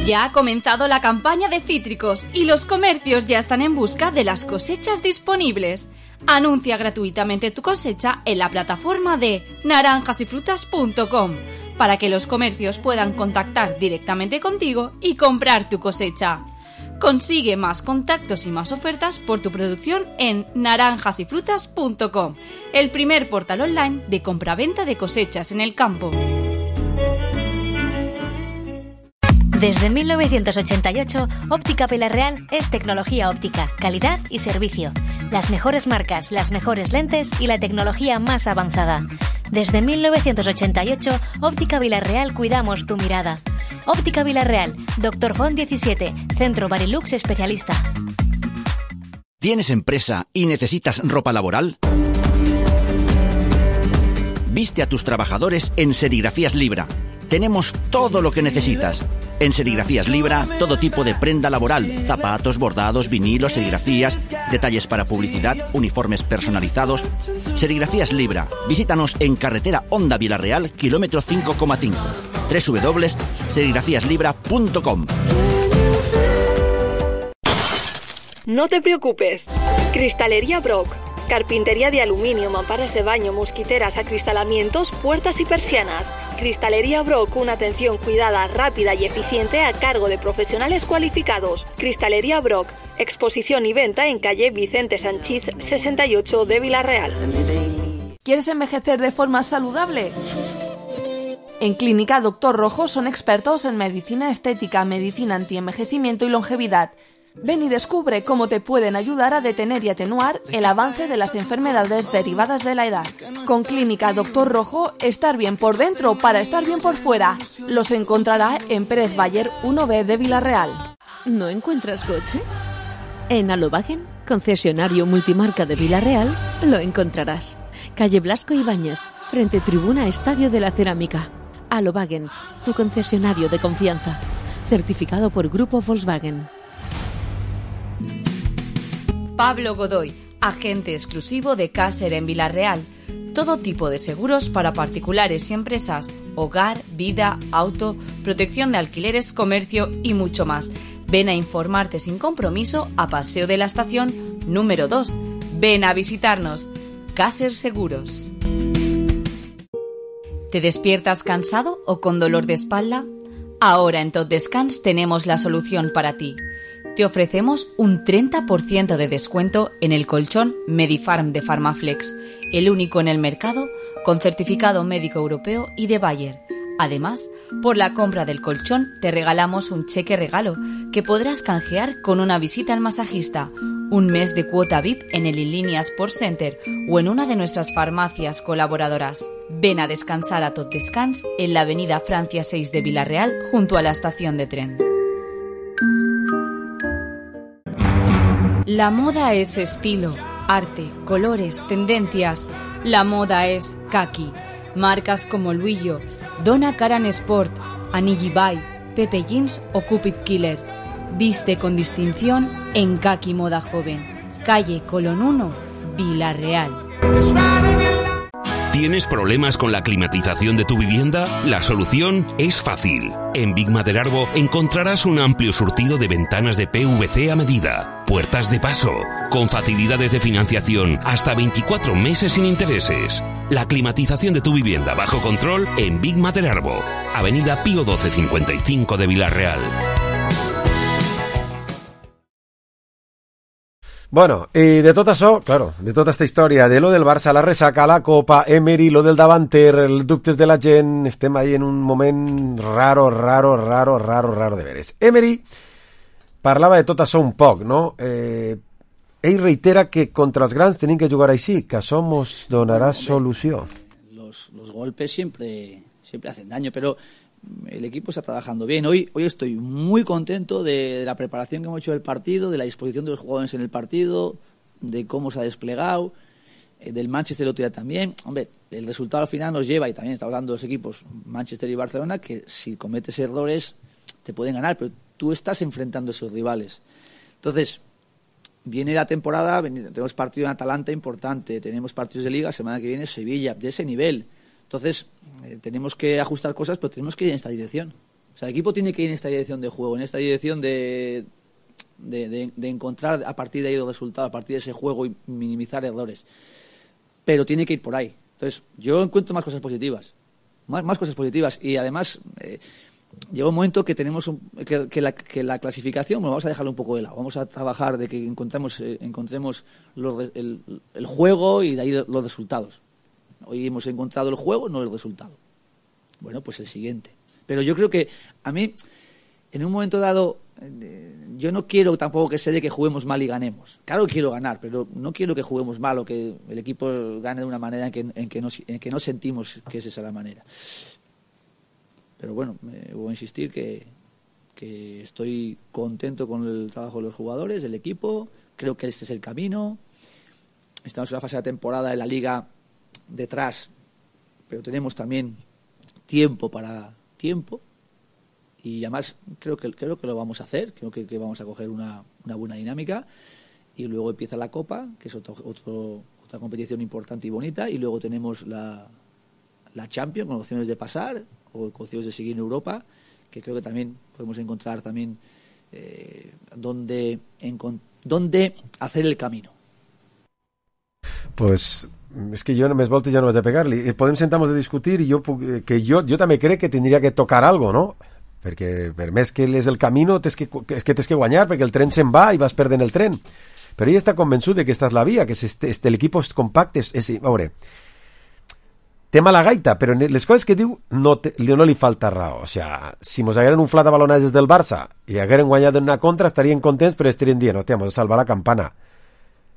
Ya ha comenzado la campaña de cítricos y los comercios ya están en busca de las cosechas disponibles. Anuncia gratuitamente tu cosecha en la plataforma de naranjas y frutas punto com para que los comercios puedan contactar directamente contigo y comprar tu cosecha. Consigue más contactos y más ofertas por tu producción en naranjas y frutas punto com, el primer portal online de compraventa de cosechas en el campo. Desde mil novecientos ochenta y ocho, Óptica Vilarreal es tecnología óptica, calidad y servicio. Las mejores marcas, las mejores lentes y la tecnología más avanzada. Desde mil novecientos ochenta y ocho, Óptica Vilarreal cuidamos tu mirada. Óptica Vilarreal, Doctor Font diecisiete, Centro Barilux Especialista. ¿Tienes empresa y necesitas ropa laboral? Viste a tus trabajadores en Serigrafías Libra. Tenemos todo lo que necesitas. En Serigrafías Libra, todo tipo de prenda laboral, zapatos, bordados, vinilos, serigrafías, detalles para publicidad, uniformes personalizados. Serigrafías Libra. Visítanos en carretera Honda Vilarreal, kilómetro cinco coma cinco. doble u doble u doble u punto serigrafías libra punto com. No te preocupes. Cristalería Brock. Carpintería de aluminio, mamparas de baño, mosquiteras, acristalamientos, puertas y persianas. Cristalería Brock, una atención cuidada, rápida y eficiente a cargo de profesionales cualificados. Cristalería Brock, exposición y venta en calle Vicente Sanchís sesenta y ocho de Vilarreal. ¿Quieres envejecer de forma saludable? En Clínica Doctor Rojo son expertos en medicina estética, medicina antienvejecimiento y longevidad. Ven y descubre cómo te pueden ayudar a detener y atenuar el avance de las enfermedades derivadas de la edad. Con Clínica Doctor Rojo, estar bien por dentro para estar bien por fuera. Los encontrará en Pérez Bayer uno B de Vilarreal. ¿No encuentras coche? En Alobagen, concesionario multimarca de Vilarreal, lo encontrarás. Calle Blasco Ibáñez, frente Tribuna Estadio de la Cerámica. Alobagen, tu concesionario de confianza. Certificado por Grupo Volkswagen. Pablo Godoy, agente exclusivo de Caser en Vilarreal. Todo tipo de seguros para particulares y empresas, hogar, vida, auto, protección de alquileres, comercio y mucho más. Ven a informarte sin compromiso a Paseo de la Estación número dos. Ven a visitarnos. Caser Seguros. ¿Te despiertas cansado o con dolor de espalda? Ahora en Tot Descans tenemos la solución para ti. Te ofrecemos un treinta por ciento de descuento en el colchón Medifarm de Farmaflex, el único en el mercado con certificado médico europeo y de Bayer. Además, por la compra del colchón te regalamos un cheque regalo que podrás canjear con una visita al masajista, un mes de cuota V I P en el Inlínea Sports Center o en una de nuestras farmacias colaboradoras. Ven a descansar a Tot Descans en la avenida Francia seis de Vilarreal junto a la estación de tren. La moda es estilo, arte, colores, tendencias. La moda es kaki. Marcas como Luillo, Donna Karan Sport, Anigi Bay, Pepe Jeans o Cupid Killer. Viste con distinción en Kaki Moda Joven. Calle Colón uno, Vilarreal. ¿Tienes problemas con la climatización de tu vivienda? La solución es fácil. En Big Maderarbo encontrarás un amplio surtido de ventanas de P V C a medida, puertas de paso, con facilidades de financiación hasta veinticuatro meses sin intereses. La climatización de tu vivienda bajo control en Big Maderarbo, Avenida Pío doce cincuenta y cinco de Vilarreal. Bueno, i de tot això, claro, de tota esta història, de lo del Barça, la ressaca, la Copa, Emery, lo del davanter, els dubtes de la gent, estem ahí en un moment raro, raro, raro, raro, raro de veres. Emery parlava de tot això un poc, no? Eh, ell reitera que contra els grans tenim que jugar així, que això mos donarà solució. Los, los golpes siempre, siempre hacen daño, pero el equipo está trabajando bien. Hoy, hoy estoy muy contento de, de la preparación que hemos hecho del partido, de la disposición de los jugadores en el partido, de cómo se ha desplegado, eh, del Manchester el otro día también. Hombre, el resultado al final nos lleva, y también está hablando de los equipos, Manchester y Barcelona, que si cometes errores te pueden ganar, pero tú estás enfrentando a esos rivales. Entonces, viene la temporada, tenemos partido en Atalanta importante, tenemos partidos de Liga, semana que viene Sevilla, de ese nivel. Entonces, eh, tenemos que ajustar cosas, pero tenemos que ir en esta dirección. O sea, el equipo tiene que ir en esta dirección de juego, en esta dirección de, de, de, de encontrar a partir de ahí los resultados, a partir de ese juego y minimizar errores. Pero tiene que ir por ahí. Entonces, yo encuentro más cosas positivas. Más, más cosas positivas. Y además, eh, llega un momento que tenemos un, que, que, la, que la clasificación, bueno, vamos a dejarla un poco de lado. Vamos a trabajar de que encontremos, eh, encontremos los, el, el juego y de ahí los resultados. Hoy hemos encontrado el juego, no el resultado. Bueno, pues el siguiente. Pero yo creo que a mí en un momento dado, eh, yo no quiero tampoco que se dé que juguemos mal y ganemos. Claro que quiero ganar, pero no quiero que juguemos mal o que el equipo gane de una manera en que, en que, no, en que no sentimos que es esa la manera. Pero bueno, me voy a insistir que, que estoy contento con el trabajo de los jugadores, del equipo. Creo que este es el camino. Estamos en una fase de temporada de la Liga detrás, pero tenemos también tiempo para tiempo. Y además creo que creo que lo vamos a hacer, creo que, que vamos a coger una, una buena dinámica. Y luego empieza la Copa, que es otro, otro, otra competición importante y bonita. Y luego tenemos la, la Champions, con opciones de pasar o con opciones de seguir en Europa, que creo que también podemos encontrar también eh, dónde, encont- dónde hacer el camino. Pues és que jo només voltes ja no vaig a pegar-li. Podem sentar-nos a discutir i jo, puc, que jo, jo també crec que tindria que tocar algo, no? Perquè per més que és el camino tens que, és que tens que guanyar perquè el tren se'n va i vas perdent el tren. Però ell està convençut de que esta és la via, que este, este, l'equip és compacte. És, és, a veure, té mala gaita, però les coses que diu no, te, no li falta raó. O sea, si mos hagueren inflat a balonades del Barça i hagueren guanyat en una contra, estarien contents, però estarien dient, hòstia, mos ha salvat la campana.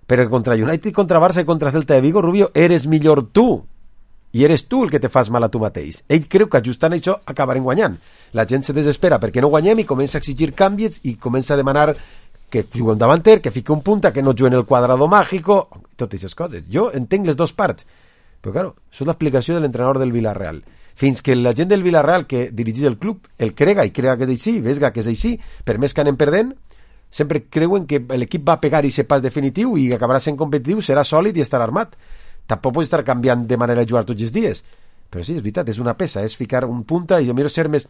Però contra United, contra Barça i contra Celta de Vigo, Rubio, eres millor tu. I eres tu el que te fas mal a tu mateix. Ell creu que ajustant això acabarem guanyant. La gent se desespera perquè no guanyem i comença a exigir canvis i comença a demanar que jugui un davanter, que fiqui un punta, que no jugui en el quadrado mágico, totes aquestes coses. Jo entenc les dues parts, però claro, això és l'explicació de l'entrenador del Villarreal. Fins que la gent del Villarreal que dirigeix el club el crega i crega que és així, vesga que és així, per més que anem perdent, sempre creuen que l'equip va pegar i ser pas definitiu i acabarà sent competitiu, serà sòlid i estarà armat. Tampoc pots estar canviant de manera de jugar tots els dies. Però sí, és veritat, és una peça, és ficar un punta i jo miro ser més,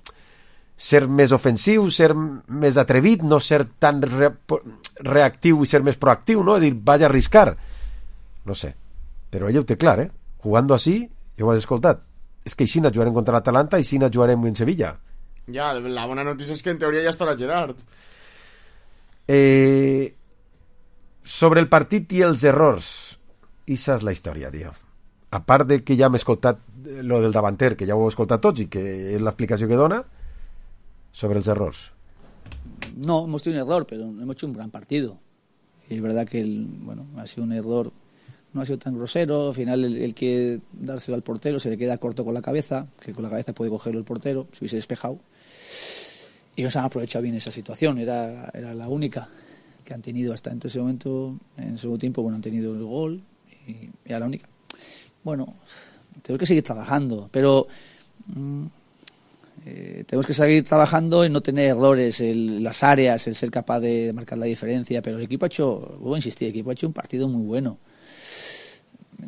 ser més ofensiu, ser més atrevit, no ser tan re, reactiu i ser més proactiu, no? Dir, vaig a arriscar. No sé, però ell ho té clar, eh? Jugando así, jo ho has escoltat. És que així no jugarem contra l'Atalanta i així no jugarem en Sevilla. Ja, la bona notícia és que en teoria ja estarà Gerard. Eh, sobre el partit i els errors, esa és la història, tio. A part de que ja hem escoltat lo del davanter, que ja ho heu escoltat tots i que és l'explicació que dona, sobre els errors. No, hemos tenido un error, pero hemos hecho un gran partido. Y es verdad que el, bueno, ha sido un error, no ha sido tan grosero. Al final el, el que dárselo al portero se le queda corto con la cabeza, que con la cabeza puede cogerlo el portero, si hubiese despejado. Y nos han aprovechado bien esa situación, era, era la única que han tenido hasta en ese momento. En el segundo tiempo, bueno, han tenido el gol y era la única. Bueno, tenemos que seguir trabajando, pero mmm, eh, tenemos que seguir trabajando en no tener errores en las áreas, en ser capaz de marcar la diferencia. Pero el equipo ha hecho, voy a insistir, el equipo ha hecho un partido muy bueno.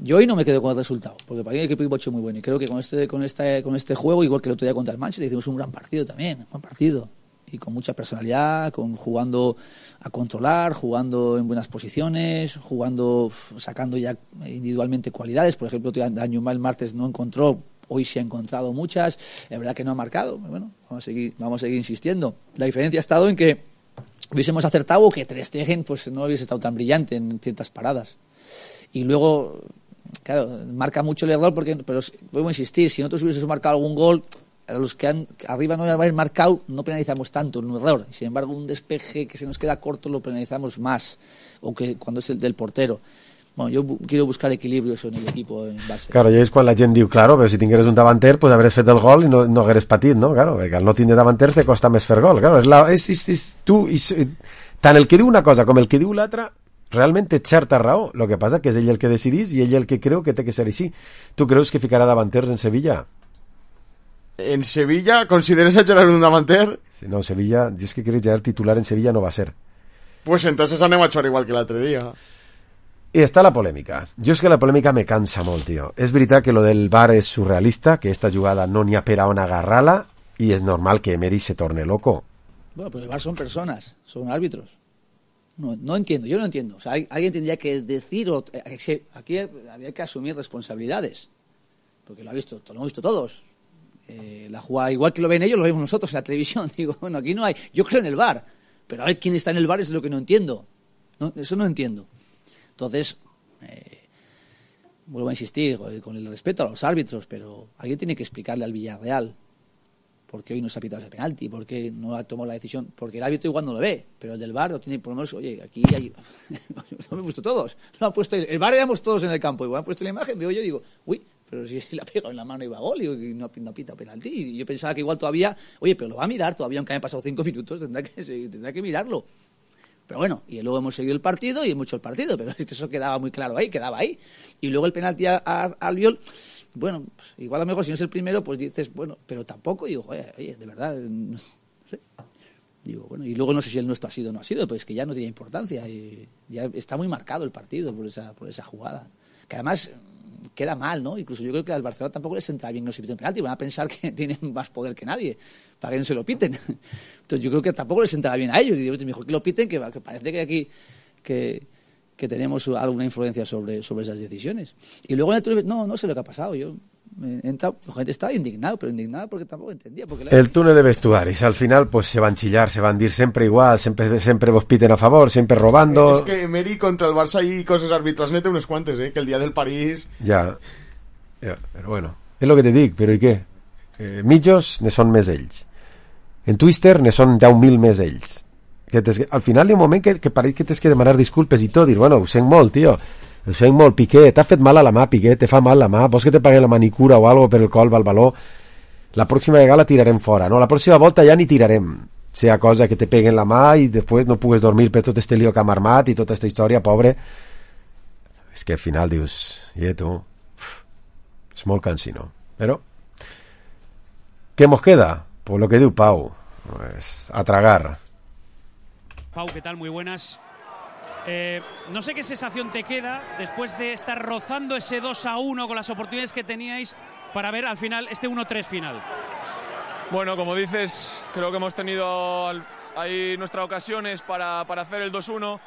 Yo hoy no me quedo con el resultado, porque para mí el equipo ha hecho muy bueno y creo que con este, con esta, con este juego, igual que el otro día contra el Manchester, hicimos un gran partido también, un buen partido. Y con mucha personalidad, con jugando a controlar, jugando en buenas posiciones, jugando, sacando ya individualmente cualidades. Por ejemplo, Dañuma el martes no encontró, hoy se ha encontrado muchas. Es verdad que no ha marcado, bueno, vamos a seguir, vamos a seguir insistiendo. La diferencia ha estado en que hubiésemos acertado o que Ter Stegen pues no hubiese estado tan brillante en ciertas paradas. Y luego, claro, marca mucho el error, porque, pero vuelvo a insistir, si nosotros hubiésemos marcado algún gol, a los que han, arriba no haber marcado no penalizamos tanto un error, sin embargo un despeje que se nos queda corto lo penalizamos más, o que cuando es el del portero. Bueno, yo bu- quiero buscar equilibrio eso en el equipo en base. Claro, i és quan la gent diu, claro, però si tingueres un davanter pues hagués fet el gol i no, no hagués patit, no? Claro, perquè al no tindre davanters te costa més fer gol, claro, és, la, és, és, és tu, és, tant el que diu una cosa com el que diu l'altra realment té certa raó, el que passa que és ell el que decidís i ell el que creu que té que ser així. Tu creus que ficarà davanters en Sevilla? ¿En Sevilla consideras a Gerard un davanter? Sí, no, Sevilla, yo es que creo que Gerard titular en Sevilla no va a ser. Pues entonces anem a jugar igual que l'altre dia. I està la polèmica. Jo és que la polèmica me cansa molt, tio. És veritat que lo del V A R és surrealista, que esta jugada no n'hi ha per a on agarrar-la, i és normal que Emery se torne loco. Bueno, pero el V A R son personas, son árbitros. No, no entiendo, yo no entiendo. O sea, hay, alguien tendría que decir, o, eh, aquí había que asumir responsabilidades, porque lo ha visto, lo hemos visto todos. Eh, la jugada, igual que lo ven ellos, lo vemos nosotros en la televisión. Digo, bueno, aquí no hay. Yo creo en el V A R, pero a ver quién está en el V A R es lo que no entiendo. No, eso no entiendo. Entonces, eh, vuelvo a insistir, con el respeto a los árbitros, pero alguien tiene que explicarle al Villarreal ¿por qué hoy no se ha pitado ese penalti? ¿Por qué no ha tomado la decisión? Porque el árbitro igual no lo ve, pero el del V A R lo tiene por lo menos, oye, aquí hay... no me he puesto todos, no han puesto el, el V A R éramos todos en el campo, igual han puesto la imagen, veo yo y digo, uy, pero si la pega en la mano iba a gol, y no, no pita penalti, y yo pensaba que igual todavía, oye, pero lo va a mirar todavía, aunque hayan pasado cinco minutos, tendrá que, tendrá que mirarlo. Pero bueno, y luego hemos seguido el partido y hemos hecho el partido, pero es que eso quedaba muy claro ahí, quedaba ahí. Y luego el penalti a, a, a Albiol, bueno, pues igual a lo mejor si no es el primero, pues dices, bueno, pero tampoco, y digo, oye, oye, de verdad, no sé. Digo, bueno, y luego no sé si el nuestro ha sido o no ha sido, pero es que ya no tiene importancia, y ya está muy marcado el partido por esa, por esa jugada. Que además queda mal, ¿no? Incluso yo creo que al Barcelona tampoco les entra bien que no se piten penalti, van a pensar que tienen más poder que nadie, para que no se lo piten. Entonces yo creo que tampoco les entrará bien a ellos, y digo, mejor que lo piten, que, que parece que aquí que, que tenemos alguna influencia sobre, sobre esas decisiones. Y luego en el túnel, no, no sé lo que ha pasado, yo he entrado, la gente estaba indignado, pero indignado porque tampoco entendía. Porque la... El túnel de vestuaris, al final pues se van a chillar, se van a ir siempre igual, siempre, siempre vos piten a favor, siempre robando. Es que Emery contra el Barça y cosas arbitras nete unos cuantes, eh, que el día del París... Ja, ja, però bueno, és el que te dic, però i què? Eh, mitjos ne són més ells. En Twister ne són deu mil més ells. Que tes, al final hi ha un moment que, que pareix que tens que demanar disculpes i tot, dir, bueno, ho sent molt, tio, ho sent molt, Piqué, t'ha fet mal a la mà, Piqué, te fa mal la mà, vols que te pague la manicura o algo per el colp al baló? La pròxima vegada la tirarem fora, no? La pròxima volta ja ni tirarem, sea cosa que te peguen la mà i després no pugues dormir per tot este lío que ha armat i tota esta història, pobre. És que al final dius, i tu, és molt cansino, però ¿qué nos queda? Pues lo que diu Pau, pues a tragar. Pau, ¿qué tal? Muy buenas. Eh, no sé qué sensación te queda después de estar rozando ese dos a uno con las oportunidades que teníais para ver al final este uno tres final. Bueno, como dices, creo que hemos tenido ahí nuestras ocasiones para, para hacer el dos uno.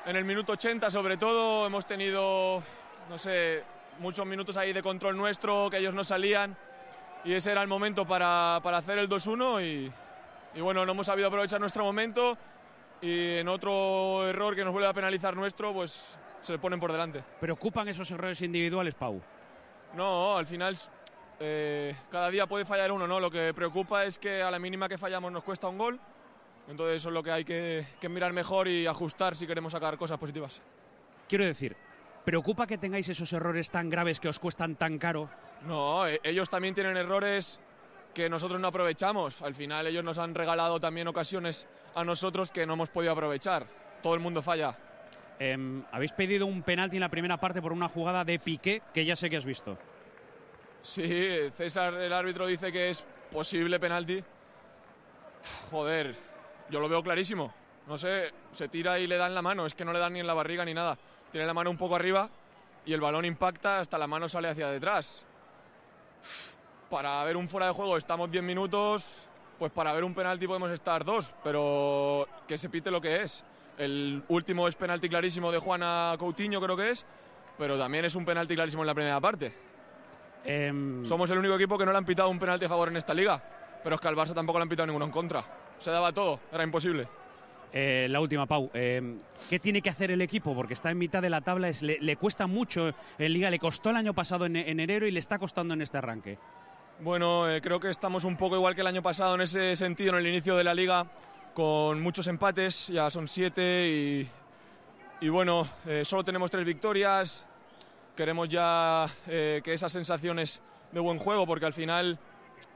En el minuto ochenta sobre todo hemos tenido, no sé, muchos minutos ahí de control nuestro, que ellos no salían, y ese era el momento para, para hacer el dos uno y, y bueno, no hemos sabido aprovechar nuestro momento, y en otro error que nos vuelve a penalizar nuestro, pues se le ponen por delante. ¿Preocupan esos errores individuales, Pau? No, al final eh, cada día puede fallar uno, ¿no? Lo que preocupa es que a la mínima que fallamos nos cuesta un gol, entonces eso es lo que hay que, que mirar mejor y ajustar si queremos sacar cosas positivas. Quiero decir, ¿preocupa que tengáis esos errores tan graves que os cuestan tan caro? No, ellos también tienen errores que nosotros no aprovechamos. Al final ellos nos han regalado también ocasiones a nosotros que no hemos podido aprovechar. Todo el mundo falla. Eh, Habéis pedido un penalti en la primera parte por una jugada de Piqué que ya sé que has visto. Sí, César, el árbitro, dice que es posible penalti. Joder, yo lo veo clarísimo. No sé, se tira y le dan la mano. Es que no le dan ni en la barriga ni nada. Tiene la mano un poco arriba y el balón impacta, hasta la mano sale hacia detrás. Para ver un fuera de juego estamos diez minutos, pues para ver un penalti podemos estar dos, pero que se pite lo que es. El último es penalti clarísimo de Juana Coutinho, creo que es, pero también es un penalti clarísimo en la primera parte. Eh... Somos el único equipo que no le han pitado un penalti a favor en esta liga, pero es que al Barça tampoco le han pitado ninguno en contra. Se daba todo, era imposible. Eh, la última, Pau, eh, ¿qué tiene que hacer el equipo? Porque está en mitad de la tabla, es, le, le cuesta mucho en Liga, le costó el año pasado en, en enero y le está costando en este arranque. Bueno, eh, creo que estamos un poco igual que el año pasado en ese sentido, en el inicio de la Liga, con muchos empates, ya son siete y, y bueno, eh, solo tenemos tres victorias, queremos ya eh, que esas sensaciones de buen juego, porque al final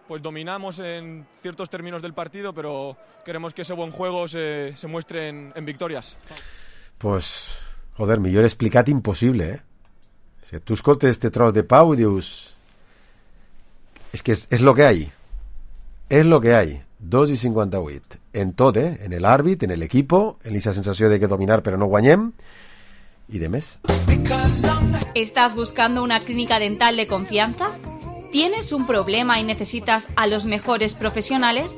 pues dominamos en ciertos términos del partido, pero queremos que ese buen juego se, se muestre en, en victorias. Pues, joder, millor explicat impossible, eh? Si tu escoltes este tros de Pau i dius... És que és, és lo que hay. És lo que hay. dos i cinquanta-vuit. En tot, eh? En el àrbit, en el equipo, en esa sensació de que dominar però no guanyem, i de més. ¿Estás buscando una clínica dental de confianza? ¿Tienes un problema y necesitas a los mejores profesionales?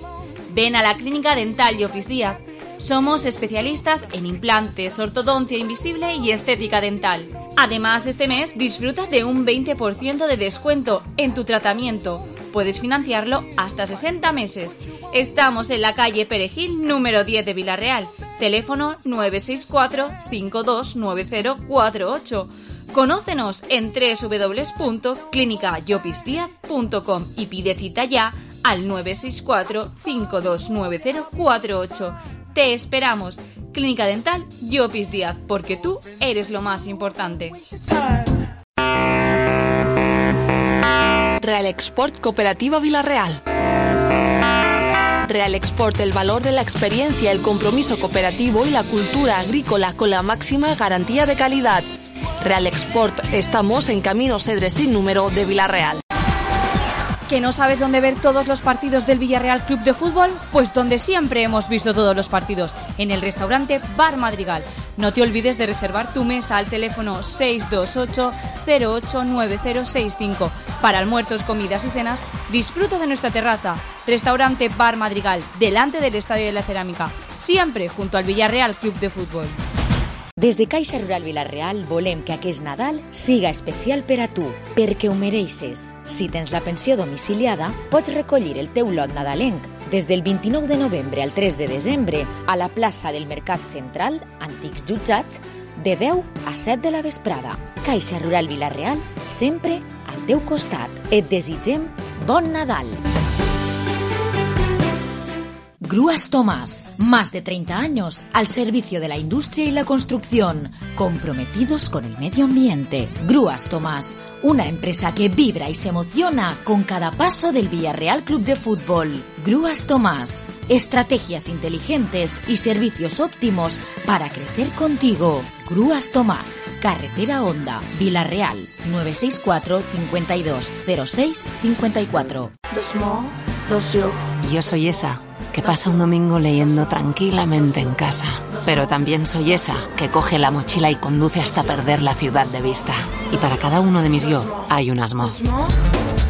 Ven a la Clínica Dental Llopis Díaz. Somos especialistas en implantes, ortodoncia invisible y estética dental. Además, este mes disfruta de un veinte por ciento de descuento en tu tratamiento. Puedes financiarlo hasta sesenta meses. Estamos en la calle Perejil, número diez de Villarreal. Teléfono nueve seis cuatro, cinco dos nueve cero cuatro ocho. Conócenos en doble u doble u doble u punto clínica llopis díaz punto com y pide cita ya al nueve seis cuatro, cinco dos nueve cero cuatro ocho. Te esperamos. Clínica Dental Llopis Díaz, porque tú eres lo más importante. Real Export Cooperativa Vilarreal. Real Export, el valor de la experiencia, el compromiso cooperativo y la cultura agrícola con la máxima garantía de calidad. Real Export, estamos en Camino Cedres sin número de Vilarreal. ¿Que no sabes dónde ver todos los partidos del Villarreal Club de Fútbol? Pues donde siempre hemos visto todos los partidos, en el restaurante Bar Madrigal. No te olvides de reservar tu mesa al teléfono seis dos ocho, cero ocho nueve cero seis cinco. Para almuerzos, comidas y cenas, disfruta de nuestra terraza. Restaurante Bar Madrigal, delante del Estadio de la Cerámica, siempre junto al Villarreal Club de Fútbol. Des de Caixa Rural Vilarreal volem que aquest Nadal siga especial per a tu, perquè ho mereixes. Si tens la pensió domiciliada, pots recollir el teu lot nadalenc des del vint-i-nou de novembre al tres de desembre a la plaça del Mercat Central, Antics Jutjats, de deu a set de la vesprada. Caixa Rural Vilarreal, sempre al teu costat. Et desitgem bon Nadal! Grúas Tomás, más de treinta años al servicio de la industria y la construcción, comprometidos con el medio ambiente. Grúas Tomás, una empresa que vibra y se emociona con cada paso del Villarreal Club de Fútbol. Grúas Tomás, estrategias inteligentes y servicios óptimos para crecer contigo. Grúas Tomás, Carretera Honda, Vilarreal, nueve seis cuatro, cinco dos, cero seis, cinco cuatro. Yo soy esa que pasa un domingo leyendo tranquilamente en casa. Pero también soy esa que coge la mochila y conduce hasta perder la ciudad de vista. Y para cada uno de mis yo hay un Asmo.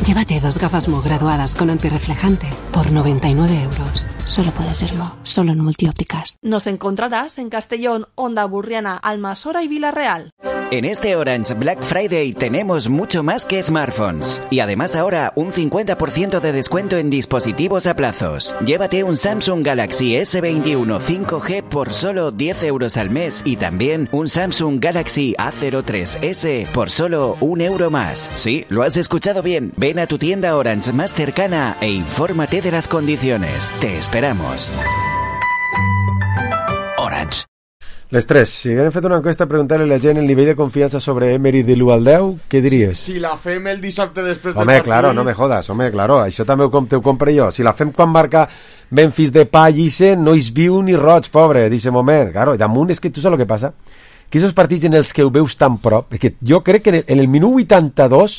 Llévate dos gafas Mo graduadas con antirreflejante por noventa y nueve euros. Solo puede serlo, solo en Multiópticas. Nos encontrarás en Castellón, Honda Burriana, Almasora y Vilarreal. En este Orange Black Friday tenemos mucho más que smartphones. Y además ahora un cincuenta por ciento de descuento en dispositivos a plazos. Llévate un Samsung Galaxy ese veintiuno cinco G por solo diez euros al mes. Y también un Samsung Galaxy A cero tres ese por solo un euro más. Sí, lo has escuchado bien. Ven a tu tienda Orange más cercana e infórmate de las condiciones. Te esperamos. Orange. Les tres, si haguem fet una encuesta a preguntar-li a la gent el nivell de confiança sobre Emery de l'u al deu, què diries? Si, si la fem el dissabte després home, del partit... claro, no me jodas, home, claro, això també ho, com, ho compre jo. Si la fem quan marca Memphis Depay, dice, no és viu ni roig, pobre, dice moment, claro, i damunt és que tu saps el que passa? Que aquests partits en els que ho veus tan prop, perquè jo crec que en el, en el minut vuitanta-dos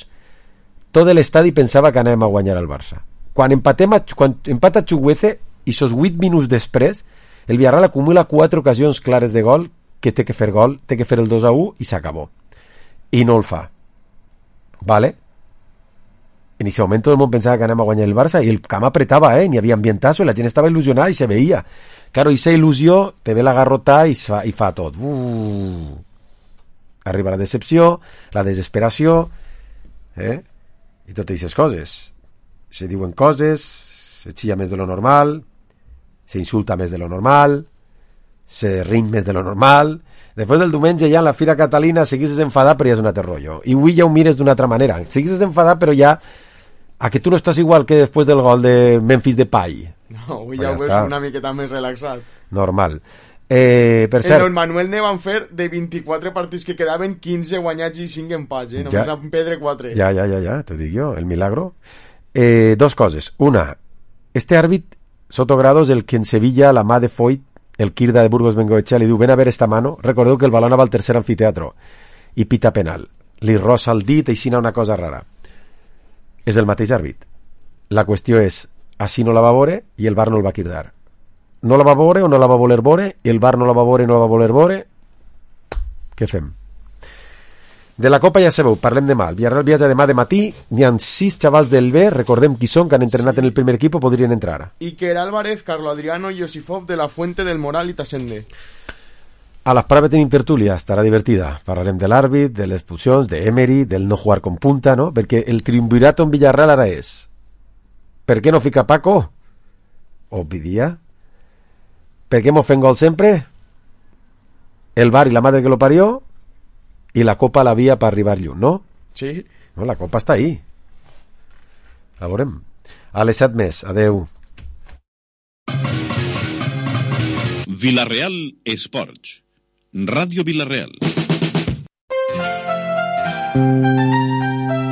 tot l'estadi pensava que anàvem a guanyar al Barça. Quan empatem a, quan empata Chukwueze i sos vuit minuts després el Villarreal acumula quatre ocasions clares de gol que té que fer gol, té que fer el dos a u i s'acabó. I no el fa. Vale? En aquest moment tot el món pensava que anàvem a guanyar el Barça i el camp apretava, eh? N'hi havia ambientazo i la gent estava il·lusionada i se veia. Claro, i esa il·lusió te ve la garrota i fa, i fa tot. Uh. Arriba la decepció, la desesperació, eh? I totes aquestes coses. Se diuen coses, se xilla més de lo normal, se insulta més de lo normal, se rin més de lo normal. Després del diumenge ja en la Fira Catalina seguisses enfadat però ja és un altre rotllo. I avui ja ho mires d'una altra manera. Seguisses enfadat però ja a que tu no estàs igual que després del gol de Memphis Depay. No, avui ja ho veus una miqueta més relaxat. Normal. Eh, per cert... En el Manuel ne van fer de vint-i-quatre partits que quedaven quinze guanyats i cinc empats, eh? Només ja, van perdre quatre. Ja, ja, ja, ja, t'ho dic jo, el milagro. Eh, dos coses. Una, este àrbit Sotogrado es el que en Sevilla la mà de Foyt, el Kirda de Burgos Bengoechea, li diu ven a ver esta mano, recordeu que el balón va al tercer anfiteatro i pita penal, li rossa el dit i xina una cosa rara. És el mateix àrbit. La qüestió és, així no la va veure i el V A R no el va quirdar. No la va veure o no la va voler veure i el V A R no la va veure i no la va voler veure. Què fem? De la Copa ja sabeu, parlem demà. El Villarreal viatja demà de matí, n'hi ha sis xavals del B, recordem qui són, que han entrenat sí. en el primer equip, podrien entrar. Iker Álvarez, Carlo Adriano, Josifov, De la Fuente, del Moral i Tassende. A les parades tenim tertúlia, estarà divertida. Parlarem de l'àrbit, de les expulsions, de Emery, del no jugar con punta, no? Perquè el triunvirato en Villarreal ara és per què no fica Paco? Obvi dia. Per què mos fem gol sempre? El V A R i la madre que lo parió. I la Copa la via per arribar lluny, no? Sí. No, la Copa està ahí. La veurem. A les set més. Adeu. Vilareal Esports. Ràdio Vilareal.